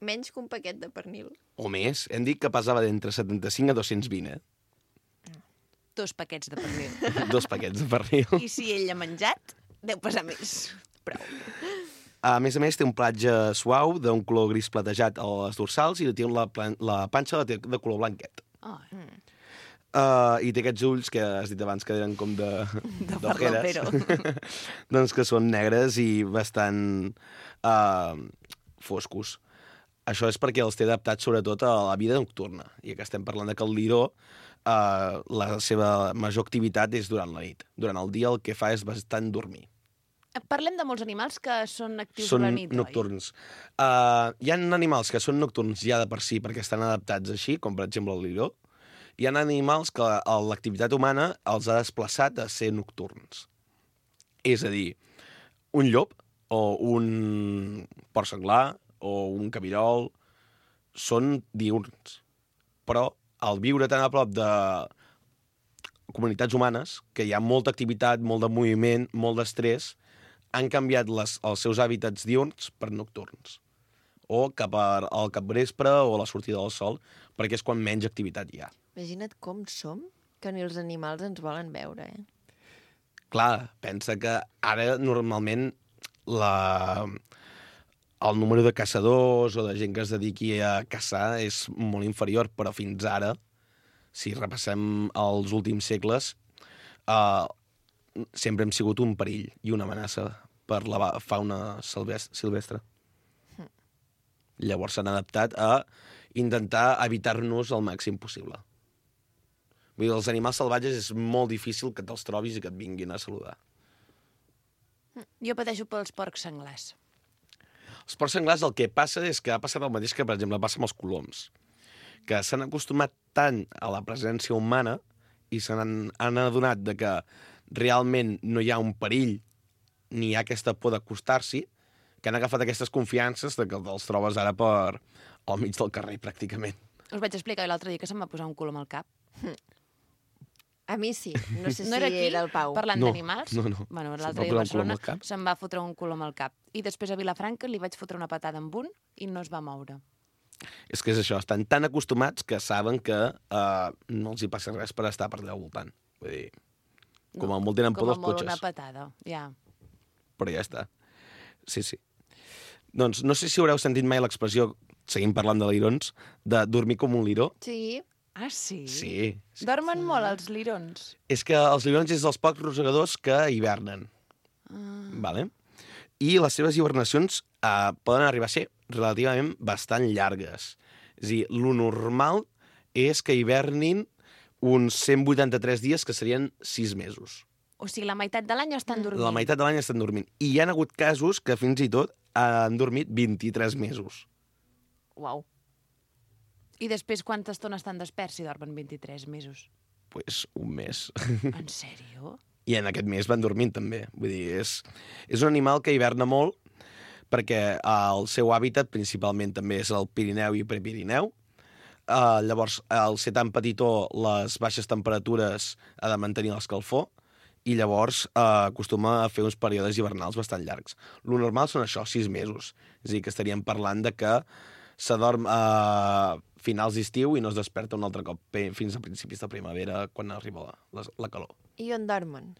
Menys que un paquet de pernil. O més. Hem dit que pesava d'entre setanta-cinc a dos-cents vint, eh? Dos paquets de pernil. Dos paquets de pernil. I si ell ha menjat, deu pesar més. Prou. A més a més, té un platge suau d'un color gris platejat a les dorsals i té la, plan- la panxa la té de color blanquet. Oh, Uh, I té aquests ulls que has dit abans que eren com de... de d'ojeres. farlopero. doncs que són negres i bastant uh, foscos. Això és perquè els té adaptats sobretot a la vida nocturna. I que estem parlant de que el liró, uh, la seva major activitat és durant la nit. Durant el dia el que fa és bastant dormir. Parlem de molts animals que són actius Són a la nit, nocturns. Uh, hi ha animals que són nocturns ja de per si perquè estan adaptats així, com per exemple el liró. Hi ha animals que a l'activitat humana els ha desplaçat a ser nocturns. És a dir, un llop o un porc senglar o un cabirol són diurns. Però al viure tan a prop de comunitats humanes, que hi ha molta activitat, molt de moviment, molt d'estrès, han canviat les, els seus hàbitats diurns per nocturns. O cap al capvespre o a la sortida del sol, perquè és quan menys activitat hi ha. Imagina't com som, que ni els animals ens volen veure, eh? Clar, pensa que ara normalment la... el número de caçadors o de gent que es dediqui a caçar és molt inferior, però fins ara, si repassem els últims segles, eh, sempre hem sigut un perill i una amenaça per la fauna silvestre. Llavors s'han adaptat a intentar evitar-nos el màxim possible. Vull dir, els animals salvatges és molt difícil que te'ls trobis i que et vinguin a saludar. Jo pateixo pels porcs senglars. Els porcs senglars el que passa és que ha passat el mateix que, per exemple, passa amb els coloms, que s'han acostumat tant a la presència humana i se n'han han adonat de que realment no hi ha un perill ni hi ha aquesta por d'acostar-s'hi, que han agafat aquestes confiances de que els trobes ara per al mig del carrer, pràcticament. Us vaig explicar l'altre dia que se'm va posar un colom al cap. A mi sí, no sé si No era aquí, era el Pau. parlant No, d'animals? no, no. Bueno, Se'm l'altre va dia a posar un colom Barcelona al cap. se'm va fotre un colom al cap. I després a Vilafranca li vaig fotre una patada amb un i no es va moure. És que és això, estan tan acostumats que saben que uh, no els hi passa res per estar per allà al voltant. Vull dir, com a molt tenen por Com a dels molt una cotxes. patada, ja. Però ja està. Sí, sí. Doncs no sé si haureu sentit mai l'expressió, seguim parlant de lirons, de dormir com un liró. Sí. Ah, sí? Sí. sí. Dormen molt els lirons. És que els lirons és dels pocs rosegadors que hivernen. Ah. Vale? I les seves hibernacions eh, poden arribar a ser relativament bastant llargues. És a dir, lo normal és que hivernin uns cent vuitanta-tres dies, que serien sis mesos. O sigui, la meitat de l'any estan dormint. La meitat de l'any estan dormint. I hi ha hagut casos que fins i tot han dormit vint-i-tres mesos. Uau. I després quanta estona estan desperts si dormen vint-i-tres mesos? Pues un mes. En sèrio? I en aquest mes van dormint també. Vull dir, és, és un animal que hiverna molt perquè el seu hàbitat principalment també és el Pirineu i Prepirineu. Uh, llavors, al ser tan petitó, les baixes temperatures ha de mantenir l'escalfor i llavors uh, acostuma a fer uns períodes hivernals bastant llargs. Lo normal són això, sis mesos. És a dir, que estaríem parlant de que s'adorm a finals d'estiu i no es desperta un altre cop fins a principis de primavera, quan arriba la, la, la calor. I on dormen?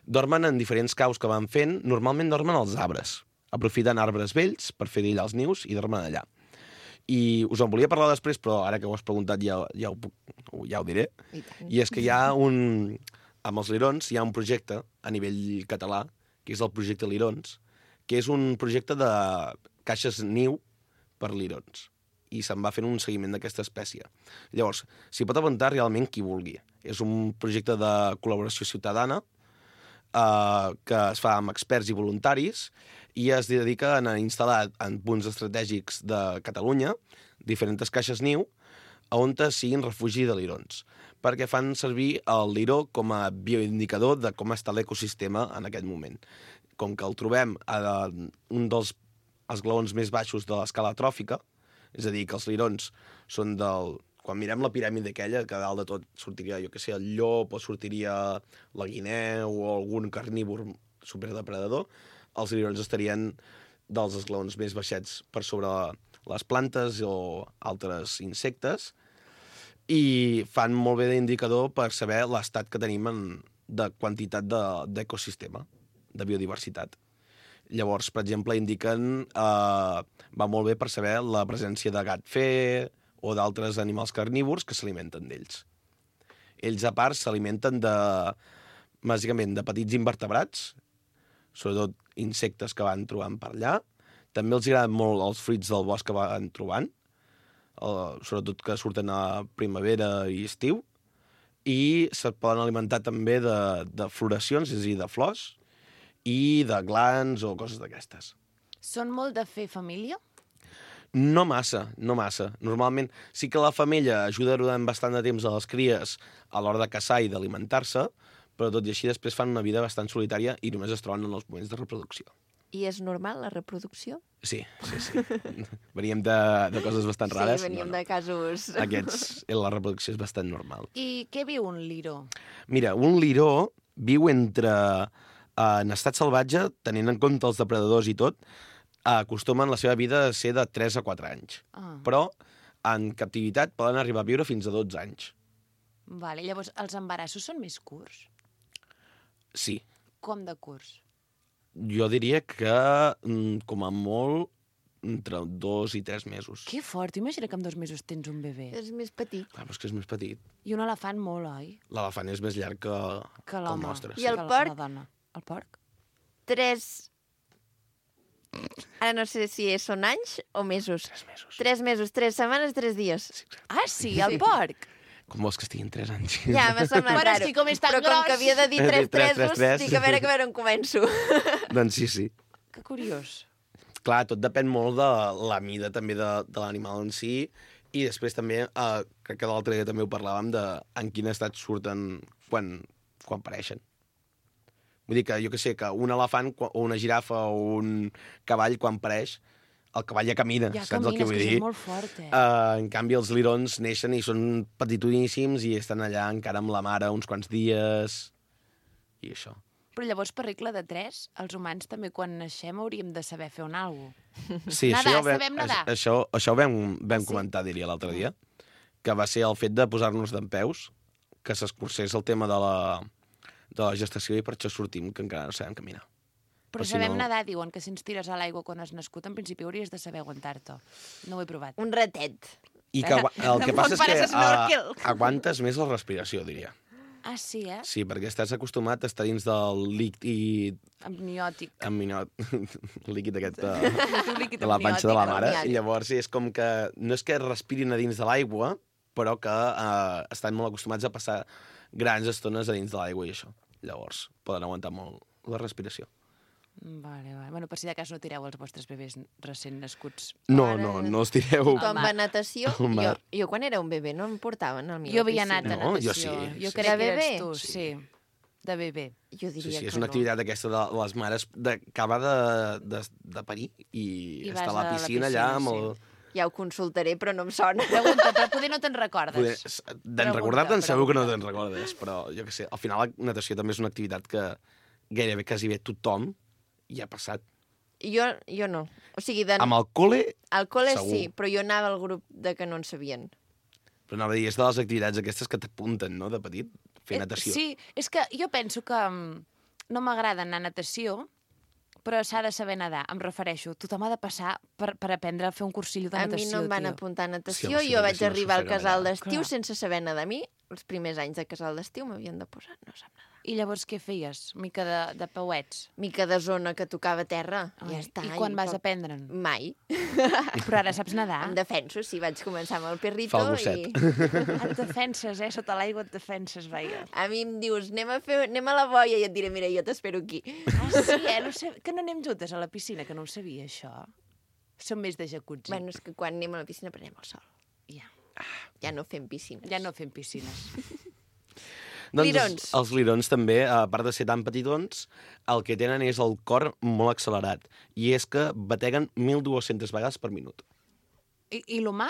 Dormen en diferents caus que van fent. Normalment dormen als arbres. Aprofiten arbres vells per fer d'allà els nius i dormen allà. I us en volia parlar després, però ara que ho has preguntat ja, ja, ho, puc- ja ho diré. I tant. I és que hi ha un... Amb els lirons hi ha un projecte a nivell català, que és el projecte Lirons, que és un projecte de caixes niu per lirons. I se'n va fent un seguiment d'aquesta espècie. Llavors, s'hi pot apuntar realment qui vulgui. És un projecte de col·laboració ciutadana eh, que es fa amb experts i voluntaris i es dediquen a instal·lar en punts estratègics de Catalunya diferents caixes niu on siguin refugi de lirons, perquè fan servir el liró com a bioindicador de com està l'ecosistema en aquest moment. Com que el trobem a un dels esglaons més baixos de l'escala tròfica, és a dir, que els lirons són del... Quan mirem la piràmide aquella, que a dalt de tot sortiria, jo què sé, el llop, o sortiria la guineu, o algun carnívor superdepredador, els lirons estarien dels esglaons més baixets per sobre les plantes o altres insectes, i fan molt bé d'indicador per saber l'estat que tenim en, de quantitat d'ecosistema, de, de biodiversitat. Llavors, per exemple, indiquen... Eh, va molt bé per saber la presència de gat fer o d'altres animals carnívors que s'alimenten d'ells. Ells, a part, s'alimenten de, bàsicament, de petits invertebrats, sobretot insectes que van trobant per allà. També els agraden molt els fruits del bosc que van trobant, eh, sobretot que surten a primavera i estiu, i se poden alimentar també de, de floracions, és a dir, de flors, i de glans o coses d'aquestes. Són molt de fer família? No massa, no massa. Normalment sí que la femella ajuda durant bastant de temps a les cries a l'hora de caçar i d'alimentar-se, però tot i així després fan una vida bastant solitària i només es troben en els moments de reproducció. I és normal, la reproducció? Sí, sí, sí. Veníem de, de coses bastant rares. Sí, veníem no, no. de casos... Aquests, la reproducció és bastant normal. I què viu un liró? Mira, un liró viu entre... Eh, en estat salvatge, tenint en compte els depredadors i tot, eh, acostumen la seva vida a ser de tres a quatre anys. Ah. Però en captivitat poden arribar a viure fins a dotze anys. Vale, llavors, els embarassos són més curts? Sí. Com de curts? Jo diria que, mm, com a molt, entre dos i tres mesos. Que fort, imagina que en dos mesos tens un bebè. És més petit. Clar, però és que és més petit. I un elefant molt, oi? L'elefant és més llarg que, Que que el l'home. nostre. I el Que la- porc? La dona. El porc? Tres... Ara no sé si són anys o mesos. Tres mesos. Tres mesos, tres setmanes, tres dies. Sí, exacte. Ah, sí, el porc? Com vols que estiguin tres anys? Ja, m'ha semblat Però és raro. que com és tan Però com gros. que havia de dir He tres dit tres, tres, tresos, tres. dic a veure, a veure on començo. Doncs sí, sí. Que curiós. Clar, tot depèn molt de la mida també de, de l'animal en si i després també, eh, crec que l'altre dia també ho parlàvem, de en quin estat surten quan, quan pareixen. Vull dir que, jo que sé, que un elefant o una girafa o un cavall, quan pareix, el cavall ja camina, Ja saps el que camines, vull que dir? és molt fort, eh? Uh, en canvi, els lirons neixen i són petitoníssims i estan allà encara amb la mare uns quants dies i això. Però llavors, per regla de tres, els humans també quan naixem hauríem de saber fer un algo. Sí, Nadar, això, ja ho vam, sabem nadar. Això, això ho vam, vam Sí? comentar, diria, l'altre dia, que va ser el fet de posar-nos dempeus, que s'escurcés el tema de la, de la gestació i per això sortim, que encara no sabem caminar. Però Però si sabem no- nadar, diuen que si ens tires a l'aigua quan has nascut, en principi hauries de saber aguantar-te. No ho he provat. Un ratet. I que, agua- el que passa és que fares snorkel. uh, aguantes més la respiració, diria. Ah, sí, eh? Sí, perquè estàs acostumat a estar dins del líquid Amniòtic. amniot, líquid aquest de, Tu líquid de la panxa de la mare, amniòtic. i llavors és com que no és que respirin a dins de l'aigua, però que uh, estan molt acostumats a passar grans estones a dins de l'aigua i això. Llavors poden aguantar molt la respiració. Vale, vale. Bueno, per si de cas no tireu els vostres bebès recent nascuts. No, Ara- no, no els tireu. Tothom mar. va a natació. Al Jo, mar. jo quan era un bebè no em portaven al mi Jo a la havia piscina. anat a No, jo natació. sí, Jo sí. crec De que eres bebè? tu, Sí. sí. De bebè. Jo Sí, diria sí, és que una no. activitat aquesta de les mares de, que va de, de, de parir i, I està vas a la a la piscina, piscina, allà amb sí. el... Ja ho consultaré, però no em sona. Pregunta, però poder no te'n Poder, recordes. D'en Pregunta, recordar-te'n segur que no pregunta. te'n recordes, però jo què sé, al final la natació també és una activitat que gairebé quasi bé tothom hi ha passat. Jo, jo no. O sigui, de... Amb el col·le, al col·le segur. sí, però jo anava al grup de que no en sabien. però anava a dir, és de les activitats aquestes que t'apunten, no?, de petit, fer Eh, natació. Sí, és que jo penso que mm, no m'agrada anar a natació, però s'ha de saber nedar, em refereixo. Tothom ha de passar per, per aprendre a fer un cursillo de A mi natació, no em van tio. apuntar a natació, Sí, home, sí, jo perquè vaig si no arribar al s'ofega casal allà. d'estiu Clar. sense saber nedar. A mi, els primers anys de casal d'estiu m'havien de posar, no sap nedar. I llavors què feies? Mica de, de pauets? Mica de zona que tocava terra, Ai, ja està. I quan vas poc- aprendre'n? Mai. Però ara saps nedar? Em defenso, sí, vaig començar amb el perrito Fa el gosset. i Et defenses, eh? Sota l'aigua et defenses, veia. a mi em dius, anem a, fer, anem a la boia i et diré, mira, jo t'espero aquí. Ah, sí, eh? No sé, que no anem juntes a la piscina, que no ho sabia, això. Som més de jacuzzi. Bueno, és que quan anem a la piscina prenem el sol. Ja, Ja no fem piscines. ja no fem piscines. Doncs Lirons. Els, els lirons també, a part de ser tan petitons, el que tenen és el cor molt accelerat. I és que bateguen mil dues-centes vegades per minut. I, i l'humà?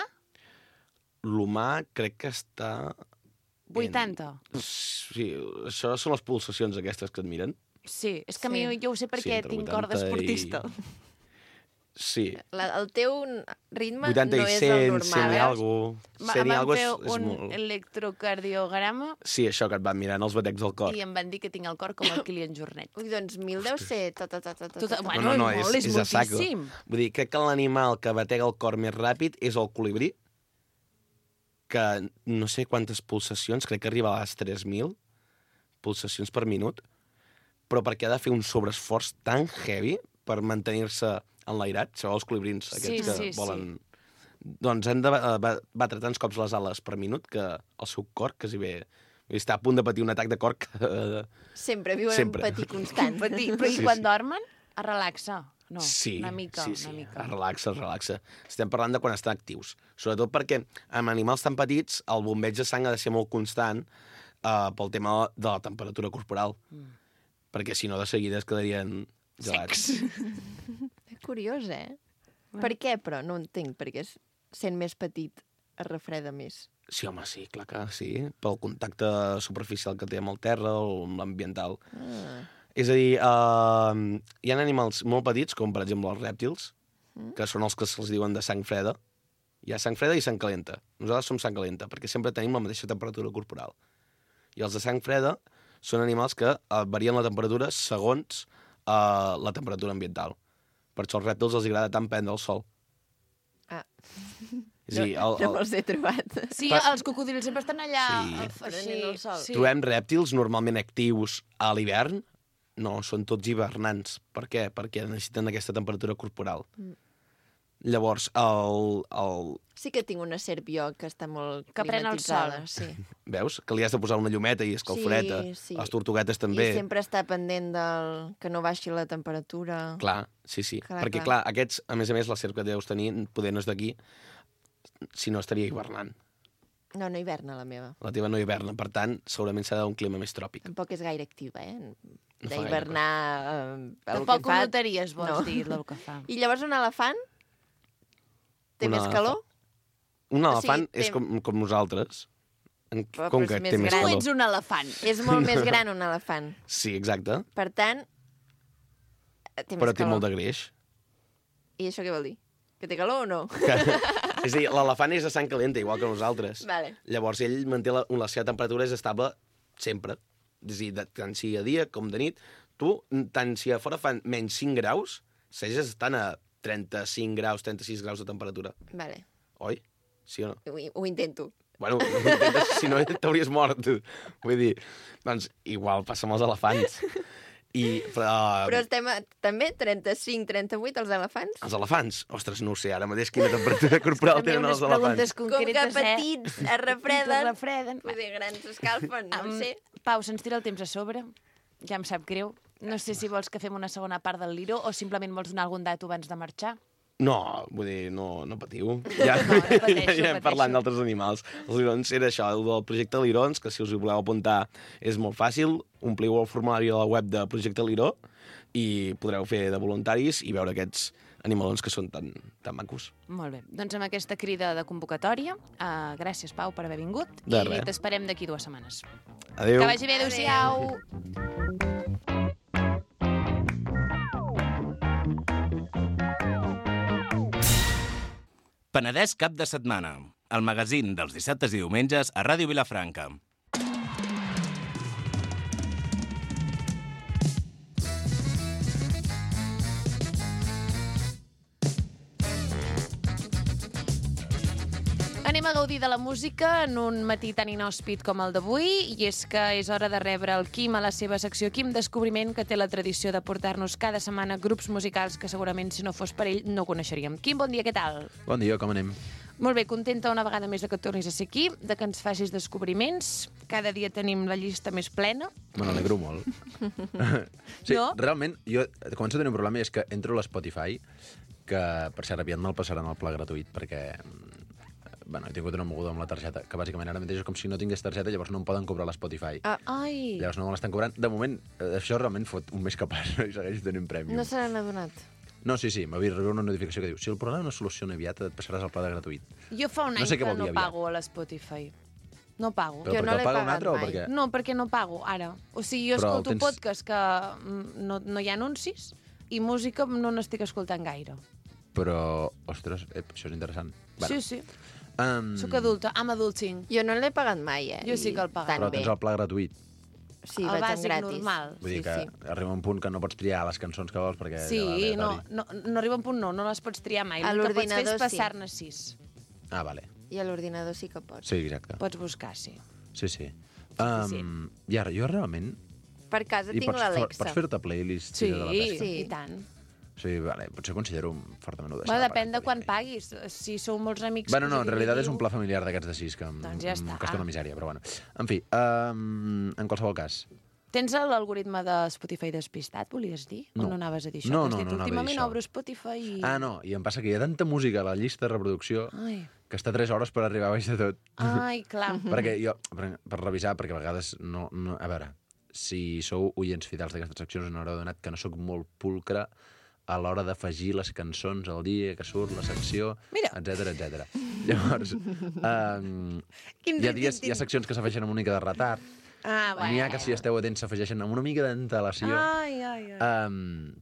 L'humà crec que està... vuitanta. Sí, això són les pulsacions aquestes que et miren. Sí, és que a Sí. mi jo ho sé perquè entre tinc cor vuitanta d'esportista. i- Sí, La, el teu ritme vuitanta no i és cent, el cent normal. i eh? algo. Ma- cent i Em algo van és, fer és un molt... electrocardiograma Sí, això que et van mirant els batecs del cor. i em van dir que tinc el cor com el Kilian Jornet. Ui, doncs mil deu ser... Ta, ta, ta, ta, ta, Tot, ta. bueno, no, no, és, molt, és, és, és a saco. moltíssim. Vull dir, crec que l'animal que batega el cor més ràpid és el colibrí, que no sé quantes pulsacions, crec que arriba a les tres mil pulsacions per minut, però perquè ha de fer un sobreesforç tan heavy per mantenir-se enlairat, sabeu els colibrins aquests Sí, que sí, sí. volen... Doncs han de ba- ba- batre tants cops les ales per minut que el seu cor quasi bé està a punt de patir un atac de cor que... Sempre viuen Sempre. en patir constant. Patir. Però i Sí, quan sí. dormen? Es relaxa. No, sí, una mica, sí, sí. una mica. Es relaxa, es relaxa. Estem parlant de quan estan actius. Sobretot perquè amb animals tan petits el bombeig de sang ha de ser molt constant uh, pel tema de la temperatura corporal. Mm. Perquè si no, de seguida es quedarien gelats. És curiós, eh? Per què, però? No entenc, perquè es- sent més petit es refreda més. Sí, home, sí, clar que sí. Pel contacte superficial que té amb el terra o amb l'ambiental. Ah. És a dir, uh, hi ha animals molt petits, com per exemple els rèptils, mm. que són els que se'ls diuen de sang freda. Hi ha sang freda i sang calenta. Nosaltres som sang calenta, perquè sempre tenim la mateixa temperatura corporal. I els de sang freda són animals que uh, varien la temperatura segons uh, la temperatura ambiental. Per això als rèptils els agrada tant prendre el sol. Ah. És a dir, el, No el, me'ls he trobat. Sí, Pa- els cocodrils sempre estan allà. Sí. eh, Prenent el sol. Sí. trobem rèptils normalment actius a l'hivern. No, són tots hivernants. Per què? Perquè necessiten aquesta temperatura corporal. Mm. Llavors, el, el... Sí que tinc una serp jo que està molt Que pren el climatitzada. sol. Sí. Veus? Que li has de posar una llumeta i escalforeta. Sí, sí. Les tortuguetes també. I sempre està pendent del... que no baixi la temperatura. Clar, sí, sí. Clar, Perquè, clar. clar, aquests, a més a més, la serp que deus tenir, poder no és d'aquí, si no estaria hivernant. No, no hiverna la meva. La teva no hiverna, per tant, segurament serà un clima més tròpic. Tampoc és gaire activa, eh? No fa d'hivernar eh, el Tampoc que ho fa. notaries, vols No. dir, el que fa. I llavors un elefant té Un més elefant. calor? Un O elefant sigui, té- és com, com nosaltres. En, Però- com però que és més té més gran. Tu calor. ets un elefant. És molt més gran un elefant. Sí, exacte. Per tant, té Però més té calor. molt de greix. I això què vol dir? Que té calor o no? Que... és a dir, l'elefant és de sang calenta, igual que nosaltres. Vale. Llavors ell manté la, la seva temperatura és estable sempre. És a dir, de, tant si a dia com de nit. Tu, tant si a fora fan menys cinc graus, segueixes estant a trenta-cinc graus, trenta-sis graus de temperatura. Vale. Oi? Sí o no? Ho, ho intento. Bueno, intentes, si no t'hauries mort. Vull dir, doncs igual passa amb els elefants. I, però, Però estem a, també trenta-cinc trenta-vuit els elefants? els elefants? Ostres, no ho sé, ara mateix quina temperatura corporal També tenen unes els elefants. preguntes Com que concretes, eh? petits es refreden, Es refreden. vull dir, grans escalfen, no Um, ho sé. Pau, se'ns tira el temps a sobre. Ja em sap greu. No sé si vols que fem una segona part del Liro o simplement vols donar algun dato abans de marxar. No, vull dir, no, no patiu. Ja, No, no pateixo, ja hem pateixo. parlat d'altres animals. Els lirons era això, el del projecte Lirons, que si us hi voleu apuntar és molt fàcil. Ompliu el formulari a la web de Projecte Liró i podreu fer de voluntaris i veure aquests animalons que són tan, tan macos. Molt bé. Doncs amb aquesta crida de convocatòria, uh, gràcies, Pau, per haver vingut. De I res. t'esperem d'aquí dues setmanes. Adéu. Que vagi bé, adéu-siau. Penedès cap de setmana. El magazín dels dissabtes i diumenges a Ràdio Vilafranca. Anem a gaudir de la música en un matí tan inhòspit com el d'avui, i és que és hora de rebre el Quim a la seva secció Quim Descobriment, que té la tradició de portar-nos cada setmana grups musicals que segurament, si no fos per ell, no coneixeríem. Quim, bon dia, què tal? Bon dia, com anem? Molt bé, contenta una vegada més de que tornis a ser aquí, de que ens facis descobriments. Cada dia tenim la llista més plena. Me n'alegro molt. sí, No? realment, jo començo a tenir un problema i és que entro a l'Spotify, que per cert aviat me'l passaran al pla gratuït, perquè bueno, he tingut una moguda amb la targeta, que bàsicament ara mateix és com si no tingués targeta, llavors no em poden cobrar l'Spotify. Ah, Ai, Llavors no me l'estan cobrant. De moment, eh, això realment fot un mes que passa i segueix tenint prèmium. no se n'han adonat. No, sí, sí, m'havia rebut una notificació que diu si el problema no es soluciona aviat, et passaràs al pla de gratuït. jo fa un No any sé què que vol no dir aviat. pago a l'Spotify. No pago. Però Jo perquè no el l'he paga un pagat altre o mai. perquè... No, perquè no pago ara. O sigui, jo Però escolto tens- podcast que mm, no, no hi ha anuncis i música no n'estic escoltant gaire. Però, ostres, eh, això és interessant. Sí, sí. Um, Soc adulta, I'm adulting. Jo no l'he pagat mai, eh? Jo sí I que el pago. tan Però bé. tens el pla gratuït. Sí, el vaig en bàsic gratis. normal. Vull dir Sí, que sí. arriba un punt que no pots triar les cançons que vols perquè... Sí, ja va no, aleatori. no, no arriba un punt no, no les pots triar mai. A L'únic que pots fer és l'ordinador sí. passar-ne sis. Ah, vale. I a l'ordinador sí que pots. Sí, exacte. Pots buscar, sí. Sí, sí. sí. Um, I ara, jo realment... Per casa I tinc pots, l'Alexa. pots fer-te playlist Sí, de la pesca? Sí. i tant. Sí, vale, potser considero fortament ho deixar. Bueno, de depèn de pagar, quan també. paguis. Si sou molts amics... Bueno, que no, us en realitat és dividiu- un pla familiar d'aquests de sis que em, Doncs ja em està. costa una misèria, però bueno. En fi, um, en qualsevol cas, Tens l'algoritme de Spotify despistat, volies dir? No. O no anaves a dir això? No, Que has no, dit, no anava a dir últimament això. obro Spotify i... Ah, no, i em passa que hi ha tanta música a la llista de reproducció Ai, que està tres hores per arribar a baix de tot. ai clar. Perquè jo, per, per revisar, perquè a vegades no, no... A veure, si sou oients fidels d'aquestes seccions, us n'haureu donat que no sóc molt pulcre a l'hora d'afegir les cançons al dia que surt la secció, Mira. etcètera, etcètera. Llavors, um, Quin hi, ha rit, dies, tin, hi ha tin. seccions que s'afegeixen amb una mica de retard, Ah, bueno. n'hi ha que, si esteu atents, s'afegeixen amb una mica d'antelació. Ai, ai, ai. Um,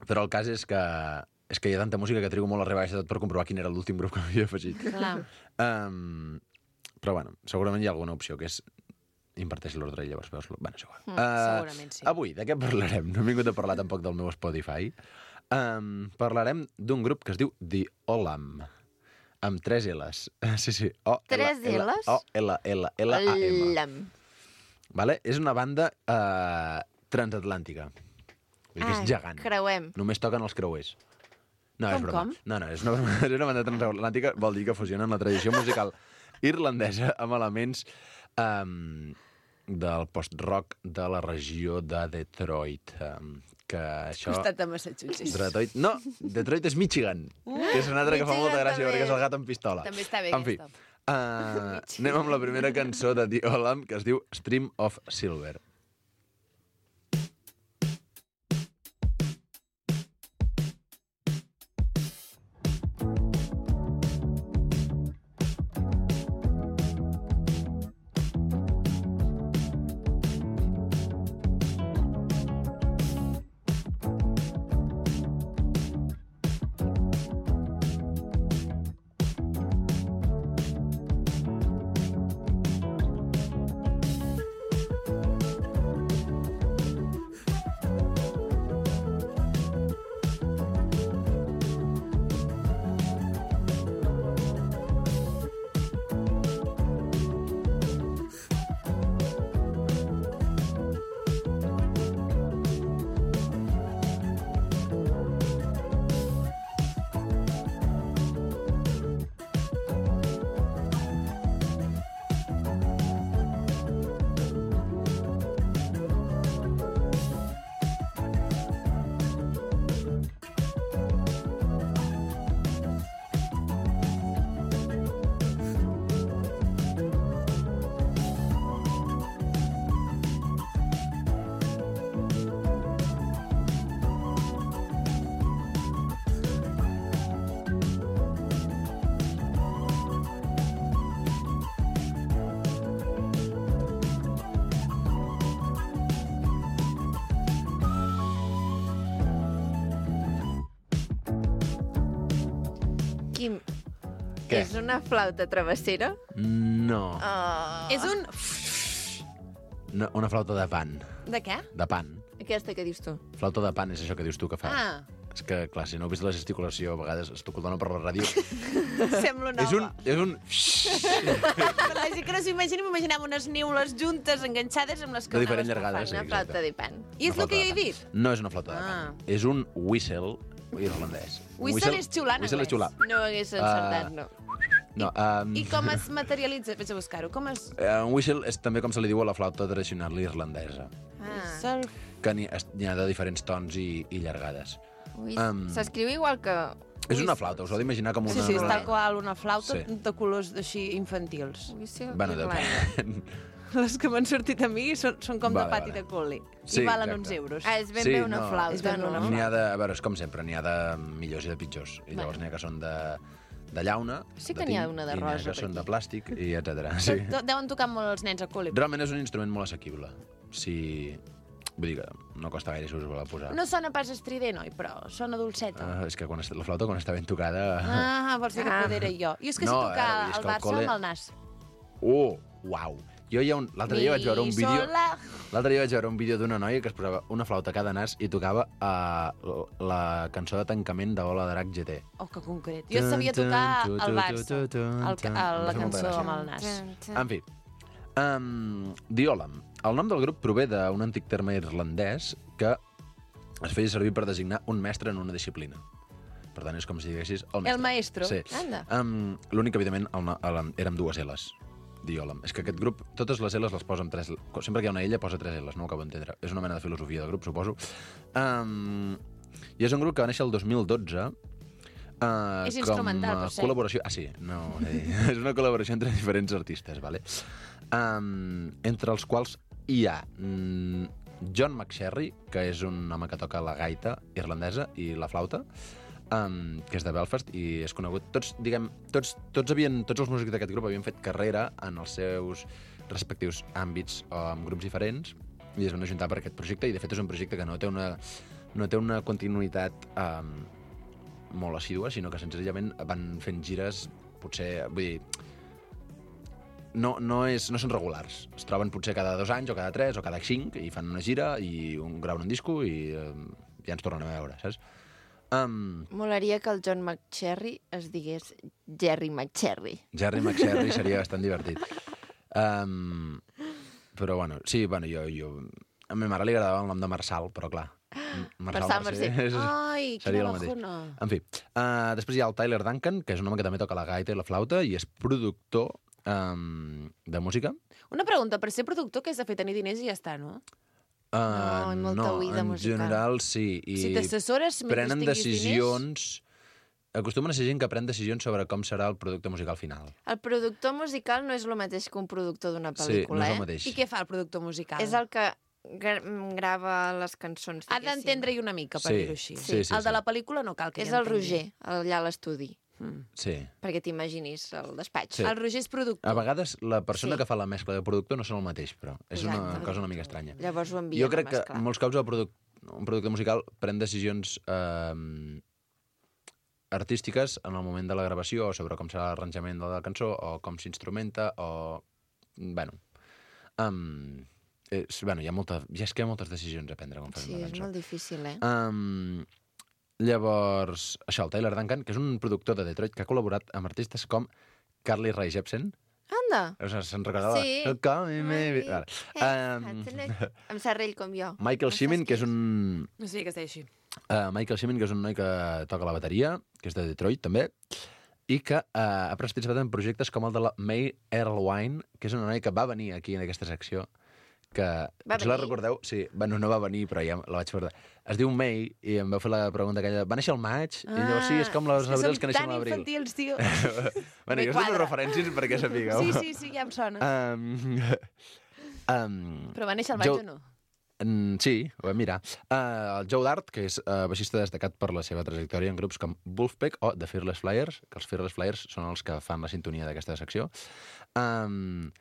però el cas és que és que hi ha tanta música que trigo molt a arribar a baix de tot per comprovar quin era l'últim grup que m'havia afegit. Clar. Um, però bueno, segurament hi ha alguna opció que és inverteix l'ordre i llavors veus... Bueno, és igual. Mm, Uh, segurament sí. Avui, de què parlarem? No hem vingut a parlar tampoc del meu Spotify. Um, parlarem d'un grup que es diu The Olam, amb tres L's. Sí, sí. O, Tres L, L, L's? O, L, L, L, A, M. Lam. Vale? És una banda uh, transatlàntica. Vull dir que és gegant. Creuem. Només toquen els creuers. No, és Com, broma. com? No, no, és una, broma. És una banda transatlàntica, vol dir que fusionen la tradició musical irlandesa amb elements um, del post-rock de la regió de Detroit. Um, que això... Costat de Massachusetts. Detroit... No, Detroit és Michigan, que és una altra que fa Michigan molta gràcia també. perquè és el gat amb pistola. També està bé En fi, aquesta. uh, anem amb la primera cançó de The Olam, que es diu Stream of Silver. Quim, Què? és una flauta travessera? No. Oh. És un... no. Una flauta de pan. De què? De pan. Aquesta que dius tu. Flauta de pan és això que dius tu que fa. Ah, És que, clar, si no heu vist la gesticulació, a vegades es t'ho dona per la ràdio. sembla una és un... És un... Per la gent que no s'ho imagini, m'imaginava unes niules juntes, enganxades amb les De diferents que llargades, sí, Una exacte. flauta de pan. I és Una el que jo flauta he de dit? pan. No és una flauta de Ah. pan. És un whistle irlandès. Whistle és xiular en Whistle és anglès. xiular. No ho hagués encertat, no. No, um, I com es materialitza? Vaig a buscar-ho. Com es... Uh, un whistle és també com se li diu a la flauta tradicional irlandesa, Ah. Sol... que n'hi n'hi ha de diferents tons i, i llargades. Ui, Em. S'escriu igual que... És una flauta, us ho heu d'imaginar com una... Sí, sí, és una- tal qual una flauta Sí. de colors així infantils. Ui, sí, Bueno, Irlanda. depèn. Les que m'han sortit a mi són, són com Vale, de pati vale. de col·li. Sí, I valen exacte. uns euros. Ah, és ben Sí, bé una no. flauta. És ben bé una no? N'hi ha de... A veure, és com sempre, n'hi ha de millors i de pitjors. I llavors Bueno. n'hi ha que són de, de llauna, Sí que de n'hi ha tint, una de i n'hi ha rosa que per són aquí. de plàstic, i etcètera. Sí. Sí. Deuen tocar molt els nens a col·li. Realment és un instrument molt assequible. Si... Vull dir que no costa gaire si us vol posar. No sona pas estrident, oi? Però sona dolceta. Uh, és que quan està, la flauta, quan està ben tocada... Ah, vols dir que Ah. poder era jo. Jo és que No, sé a tocar veure, és el que al Barça col·le- amb el nas. Oh, uau! Jo hi ha un... L'altre dia vaig veure un Mi, vídeo... sol, la... L'altre dia vaig veure un vídeo d'una noia que es posava una flauta a cada nas i tocava uh, la cançó de tancament de Ola d'Arac G T. Oh, que concret. Jo sabia tocar el Barça, el, ca- el, la cançó amb el nas. En fi, um, Diolam. El nom del grup prové d'un antic terme irlandès que es feia servir per designar un mestre en una disciplina. Per tant, és com si diguessis el mestre. El maestro. Sí. Anda. Um, L'únic que, evidentment, el, no- el, era amb dues L's. Diolam. És que aquest grup, totes les L's les posa amb tres... Sempre que hi ha una ella posa tres L's, no ho acabo d'entendre. És una mena de filosofia del grup, suposo. Um, I és un grup que va néixer el dos mil dotze. Uh, És instrumental, com a per cert. col·laboració... Ah, sí, no, eh, és una col·laboració entre diferents artistes, vale? Um, entre els quals hi ha mm, John McSherry, que és un home que toca la gaita irlandesa i la flauta, um, que és de Belfast i és conegut. Tots, diguem, tots, tots, havien, tots els músics d'aquest grup havien fet carrera en els seus respectius àmbits o amb grups diferents i es van ajuntar per aquest projecte i de fet és un projecte que no té una, no té una continuïtat um, molt assídua, sinó que senzillament van fent gires, potser, vull dir, no, no, és, no són regulars. Es troben potser cada dos anys o cada tres o cada cinc i fan una gira i un, graven un disco i eh, ja ens tornen a veure, saps? Um, Molaria que el John McSherry es digués Jerry McSherry. Jerry McSherry seria bastant divertit. Um, però bueno, sí, bueno, jo, jo... A ma mare li agradava el nom de Marçal, però clar... Marçal Mercè. Ai, seria quina el mateix. bajona. En fi, uh, després hi ha el Tyler Duncan, que és un home que també toca la gaita i la flauta i és productor um, de música. Una pregunta, per ser productor, què has de fer? Tenir diners i ja està, no? Uh, No, i molta no, oïda en musical. general sí. I Si t'assessores, mentre prenen tinguis decisions... Acostumen a ser gent que pren decisions sobre com serà el producte musical final. El productor musical no és el mateix que un productor d'una Sí, no pel·lícula, és el eh? mateix. I què fa el productor musical? És el que gra grava les cançons, Ha diguéssim. d'entendre-hi una mica, per Sí, dir-ho així. sí, sí, el de sí. la pel·lícula no cal que És hi el entengui. Roger, allà a l'estudi, Mm. Sí. perquè t'imaginis el despatx. Sí. El Roger és productor. A vegades la persona Sí. que fa la mescla de productor no són el mateix, però és una Exacte. cosa una mica estranya. Llavors ho envien Jo crec a que mesclar. en molts casos el produc un producte musical pren decisions eh, artístiques en el moment de la gravació o sobre com serà l'arranjament de la cançó o com s'instrumenta o... Bueno, um, és, bueno hi, ha molta, ja és que hi ha moltes decisions a prendre quan fas Sí, una és cançó. molt difícil, eh? Um, llavors, això, el Tyler Duncan, que és un productor de Detroit que ha col·laborat amb artistes com Carly Rae Jepsen. Anda! Se'n recordava? Sí. Call me maybe. Vale. Um, Amb serrell com jo. Michael No Shimin, saps que és qui un... No sé què es deia així. Uh, Michael Shimin, que és un noi que toca la bateria, que és de Detroit, també, i que uh, ha participat en projectes com el de la May Erlewine, que és una noia que va venir aquí en aquesta secció, que, Va potser la venir? recordeu? Sí, bueno, no va venir, però ja la vaig recordar. Es diu May, i em vau fer la pregunta aquella, va néixer al maig? I llavors, sí, és com les abrils que neixen a l'abril. Som tan infantils, tio. Bueno, Me jo us dono quadra. referències perquè sapigueu. Sí, sí, sí, ja em sona. Um, um, Però va néixer al maig Joe- o no? Mm, sí, ho vam mirar. Uh, el Joe Dart, que és uh, baixista destacat per la seva trajectòria en grups com Wolfpack o The Fearless Flyers, que els Fearless Flyers són els que fan la sintonia d'aquesta secció. Um,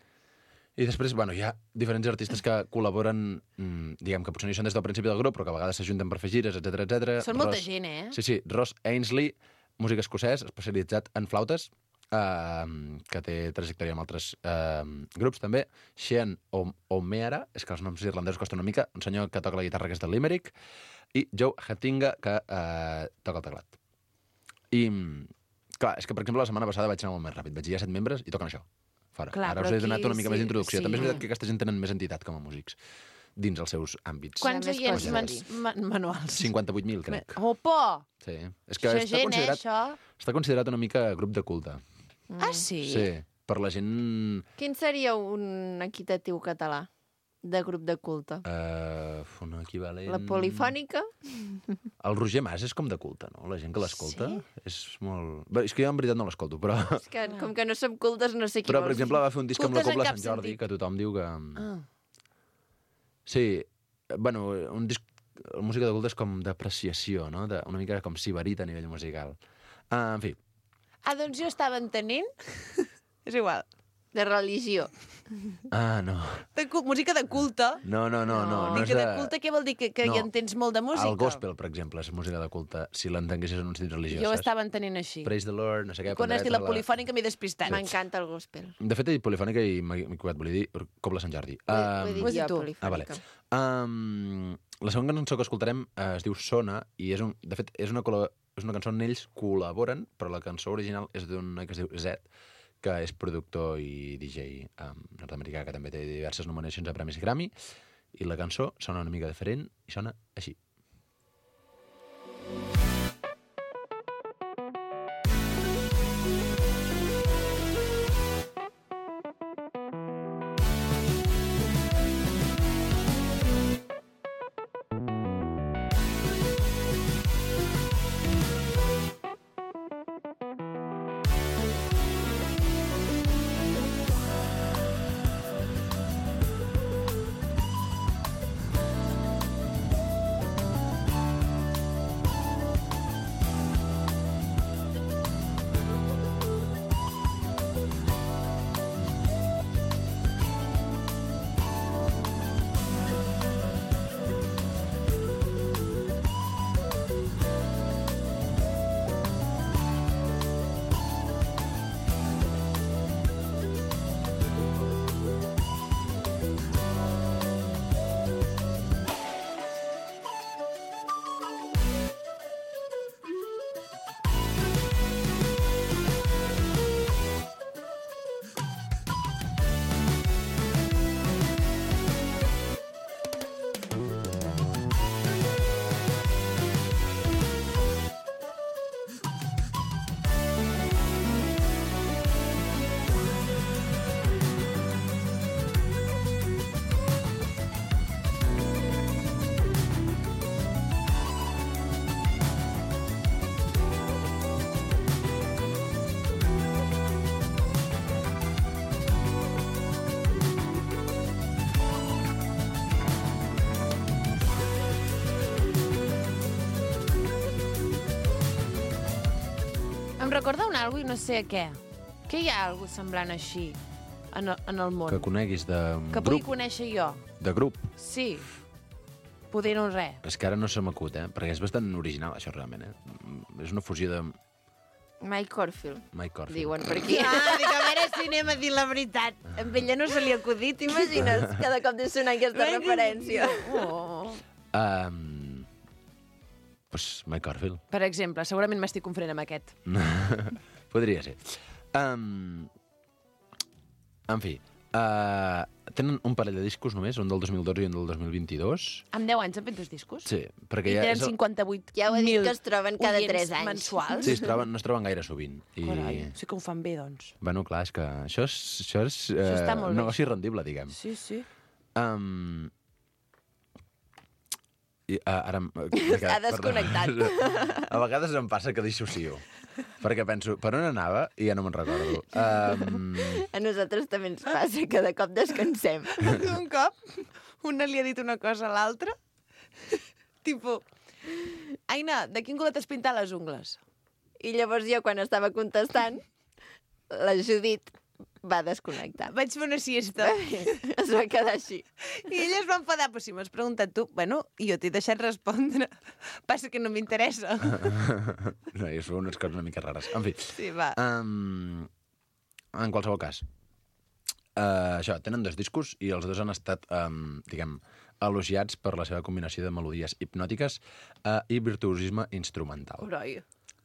I després, bueno, hi ha diferents artistes que col·laboren, mm, diguem que potser no hi són des del principi del grup, però que a vegades s'ajunten per fer gires, etcètera, etcètera. Són molta Ross- gent, eh? Sí, sí, Ross Ainsley, músic escocès especialitzat en flautes, eh, que té trajectòria amb altres eh, grups també. Sean O'Meara, és que els noms irlandesos costen una mica, un senyor que toca la guitarra, que és de Limerick, i Joe Hattinga, que eh, toca el teclat. I, clar, és que, per exemple, la setmana passada vaig anar molt més ràpid. Vaig dir, hi ha set membres i toquen això. Fora. Clar, Ara us he donat aquí, una mica sí, més d'introducció. sí. També és veritat que aquesta gent tenen més entitat com a músics dins els seus àmbits. Quants més oients coses. mans- ma- manuals? cinquanta-vuit mil, crec. Opa! Sí. És que Això està gent, eh, considerat, això? està considerat una mica grup de culte. Ah, sí? Sí. Per la gent... Quin seria un equitatiu català de grup de culte? Uh, un equivalent... La polifònica? El Roger Mas és com de culte, no? La gent que l'escolta Sí? és molt... Bé, és que jo en veritat no l'escolto, però... És que com que no som cultes no sé qui Però, vols per exemple, va fer un disc amb la Cultes en Cobla cap Sant Jordi, sentit. que tothom diu que... Ah. Sí, bueno, un disc... La música de culte és com d'apreciació, no? De, una mica com sibarita a nivell musical. Uh, en fi, Ah, doncs jo estava entenent... És igual. de religió. ah, no. De cu música de culte. No, no, no, no, no Dic és que de... de culte què vol dir? Que, que No. hi entens molt de música? El gospel, per exemple, és música de culte, si l'entenguessis en un sentit religiós, Jo ho saps? estava entenent així. Praise the Lord, no sé què... Quan has dit la pandereta, polifònica m'he despistat. M'encanta el gospel. De fet, he dit polifònica i m'he m'he equivocat, volia dir Cobla Sant Jordi. Ho he- ho he Um, dit ho has dit jo, tu. Ah, vale. polifònica. Um, la segona cançó que escoltarem eh, es diu Sona, i és un, de fet és una, col·la- és una cançó on ells col·laboren, però la cançó original és d'un noi que es diu Zed, que és productor i D J um, nord-americà, que també té diverses nominacions a Premis Grammy, i la cançó sona una mica diferent i sona així. Em recorda un algo i no sé què. Què hi ha algo semblant així en el, en el món? Que coneguis de Que pugui grup. conèixer jo. De grup. Sí. Poder no res. És que ara no se m'acut, eh? Perquè és bastant original, això, realment, eh? És una fusió de Mike Corfield, Mike Corfield. diuen per aquí. Ah, dic, a veure si anem a dir la veritat. Amb ella no se li ha acudit, t'imagines? Cada cop de sonar aquesta referència. Oh. Um, pues Mike Corfield. Per exemple, segurament m'estic confonent amb aquest. Podria ser. Um, en fi, uh, tenen un parell de discos només, un del dos mil dotze i un del dos mil vint-i-dos. Amb deu anys han fet dos discos? Sí, perquè I ja... tenen és el- cinquanta-vuit Ja ho he dit mil que es troben cada oients tres anys. mensuals. Sí, es troben, no es troben gaire sovint. I... Carai, sí que ho fan bé, doncs. Bueno, clar, és que això és, això és uh, Això està molt bé. negoci rendible, diguem. Sí, sí. Um, i, uh, ara... em- S'ha desconnectat. Perdó. A vegades em passa que dissocio. Perquè penso, per on anava? I ja no me'n recordo. Um, A nosaltres també ens passa, cada cop descansem. Un cop, una li ha dit una cosa a l'altra. Tipo, Aina, de quin color t'has pintat les ungles? I llavors jo, quan estava contestant, la Judit va desconnectar. Vaig fer una siesta. Es va quedar així. I ella es va enfadar, però si m'has preguntat tu, bueno, i jo t'he deixat respondre. Passa que no m'interessa. No, i es fa unes coses una mica rares. En fi. Sí, va. Um, en qualsevol cas, uh, això, tenen dos discos i els dos han estat, um, diguem, elogiats per la seva combinació de melodies hipnòtiques uh, i virtuosisme instrumental. Oroi,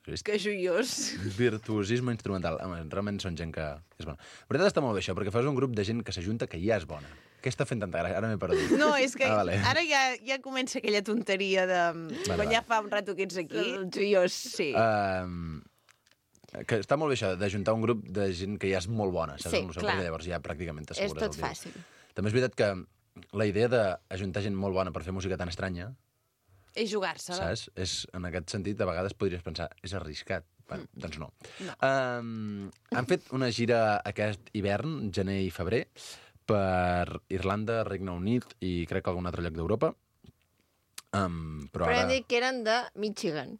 Vist? que joiós. Virtuosisme instrumental. Home, realment són gent que és bona. La veritat està molt bé això, perquè fas un grup de gent que s'ajunta que ja és bona. Què està fent tanta gràcia? Ara m'he perdut. No, és que Ah, vale. ara ja, ja comença aquella tonteria de... Vale, quan vale. ja fa un rato que ets aquí. El joiós. Sí. Um, que està molt bé això, d'ajuntar un grup de gent que ja és molt bona, saps? Sí, Amb això, clar. perquè llavors ja pràcticament És t'assegures tot el dia. fàcil. També és veritat que la idea d'ajuntar gent molt bona per fer música tan estranya, És jugar-se-la. saps? És, en aquest sentit, a vegades podries pensar, és arriscat. Bueno, Mm. doncs no. No. Um, han fet una gira aquest hivern, gener i febrer, per Irlanda, Regne Unit i crec que algun altre lloc d'Europa. Um, però, Però ara... hem dit que eren de Michigan.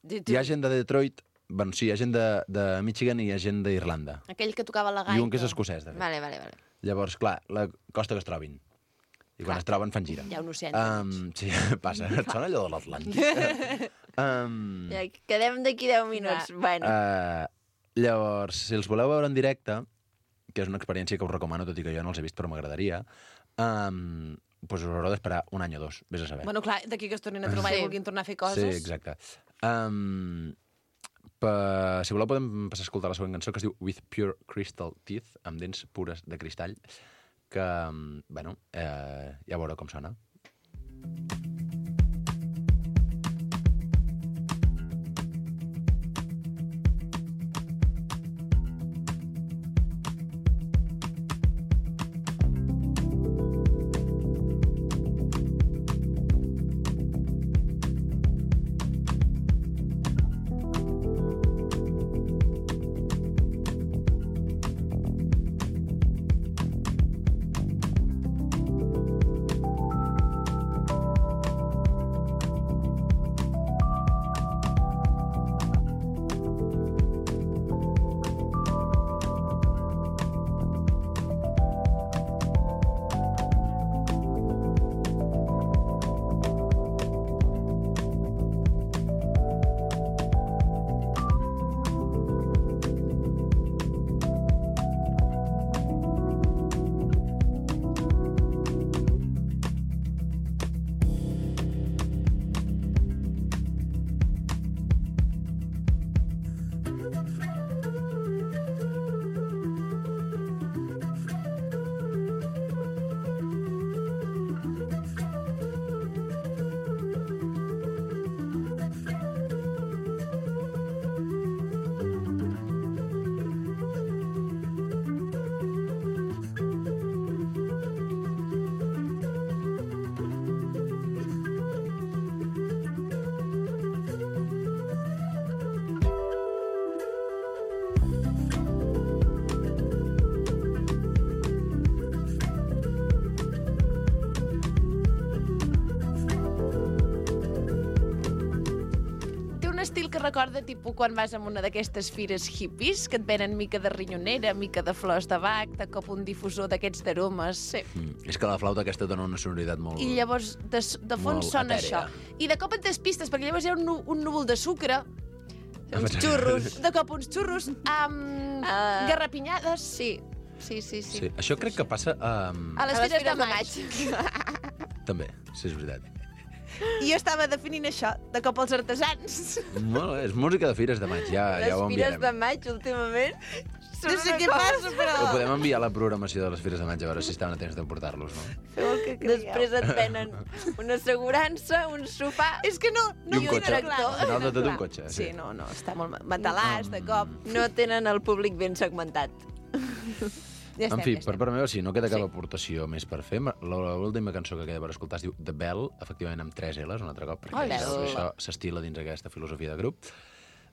Hi ha gent de Detroit, bueno, sí, hi ha gent de, de Michigan i hi ha gent d'Irlanda. Aquell que tocava la gaita. I un que és escocès, de fet. Vale, vale, vale. Llavors, clar, la costa que es trobin. I quan Clar. es troben fan gira. Hi ha un oceà. Um, sí, passa. Et sona allò de l'Atlàntic? um, Ja, quedem d'aquí deu minuts. Bueno, uh, llavors, si els voleu veure en directe, que és una experiència que us recomano, tot i que jo no els he vist, però m'agradaria, um, doncs us haureu d'esperar un any o dos, vés a saber. Bueno, clar, d'aquí que es tornin a trobar Sí. i vulguin tornar a fer coses. Sí, exacte. Um, per, si voleu podem passar a escoltar la següent cançó, que es diu With Pure Crystal Teeth, amb dents pures de cristall, que, bueno, eh, ja veureu com sona. Estil que recorda tipus quan vas a una d'aquestes fires hippies que et venen mica de rinyonera, mica de flors de bac, de cop un difusor d'aquests d'aromes. Sí. Mm, és que la flauta aquesta dona una sonoritat molt... I llavors de, de fons Molt sona etèrea. això. I de cop et despistes, perquè llavors hi ha un, nu- un núvol de sucre, uns xurros. de cop uns xurros, amb Ah. garrapinyades. Sí, sí, sí. sí. Sí, això crec que passa... Um, A les A les fires de fires de maig. també, sí, és veritat. I jo estava definint això, de cop els artesans. Molt bé, és música de fires de maig, ja, Les ja ho fires enviarem. de maig, últimament, són No sé una què cosa. passa, però... Ho podem enviar a la programació de les fires de maig, a veure si estaven a temps de portar-los, no? Feu el que creieu. Després et venen una assegurança, un sofà... És que no, no I un ho cotxe. tenen clar. Al final de tot un Clar. cotxe, sí. Sí, no, no, està molt matalàs, de cop. No tenen el públic ben segmentat. Ja estem, En fi, ja per estem. part meva, si no queda cap aportació més per fer, l'última cançó que queda per escoltar es diu The Bell, efectivament amb tres L's, un altre cop, perquè Ole. això s'estila dins aquesta filosofia de grup.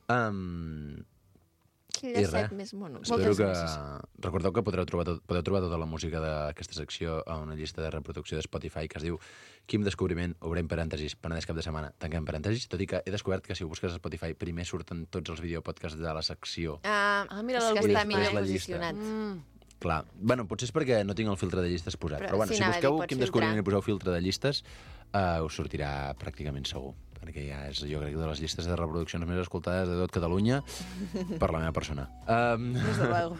Um, Quin I llacet res, més mono. espero Moltes que... gràcies. Recordeu que podreu trobar, tot, podeu trobar tota la música d'aquesta secció a una llista de reproducció de Spotify que es diu Quim Descobriment, obrem parèntesis, Penedès cap de setmana, tanquem parèntesis, tot i que he descobert que si ho busques a Spotify primer surten tots els videopodcasts de la secció. Ah, Ah, mira és que l'algoritme. està millor És la llista. posicionat. Mm. Clar, bueno, potser és perquè no tinc el filtre de llistes posat, Però però, bueno, si si anava a dir, busqueu pots Quim filtrar. Descobriment i poseu filtre de llistes, uh, us sortirà pràcticament segur, perquè ja és, jo crec, de les llistes de reproduccions més escoltades de tot Catalunya per la meva persona. Um... Des de luego.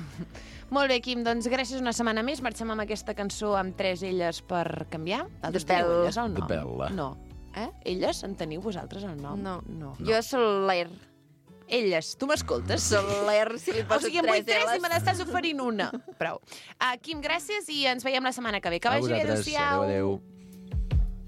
Molt bé, Quim, doncs gràcies una setmana més. Marxem amb aquesta cançó amb tres elles per canviar. Vosaltres The teniu Bell. elles al nom? The Bell. No. Eh? Elles en teniu vosaltres al nom? No. no. Jo sol l'air. Elles, tu m'escoltes? Sol l'air si li O poso sigui, em vull tres tres i L's. me n'estàs oferint una. Prou. Uh, Quim, gràcies i ens veiem la setmana que ve. Que A vagi bé, vosaltres, adéu-siau. adéu, adéu.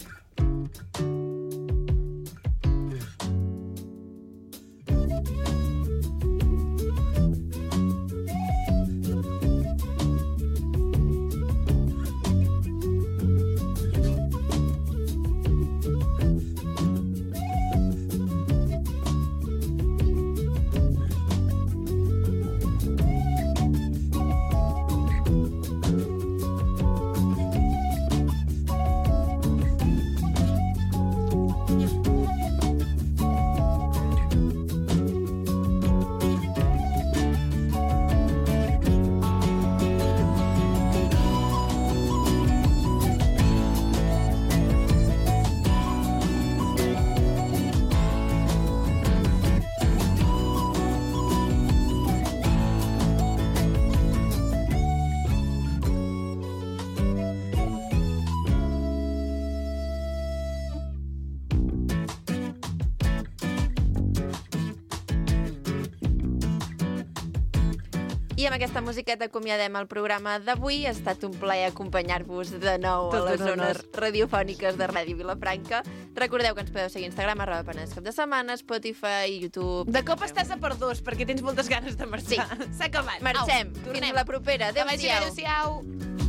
I amb aquesta musiqueta acomiadem el programa d'avui. Ha estat un plaer acompanyar-vos de nou Tot a les un honor. zones radiofòniques de Ràdio Vilafranca. Recordeu que ens podeu seguir a Instagram, arroba Penedès cap de setmana, Spotify, YouTube... De cop estàs a per dos, perquè tens moltes ganes de marxar. Sí. S'ha acabat. Marxem. Au, Fins tornem. la propera. Que vagi bé, Adéu-siau. adéu-siau.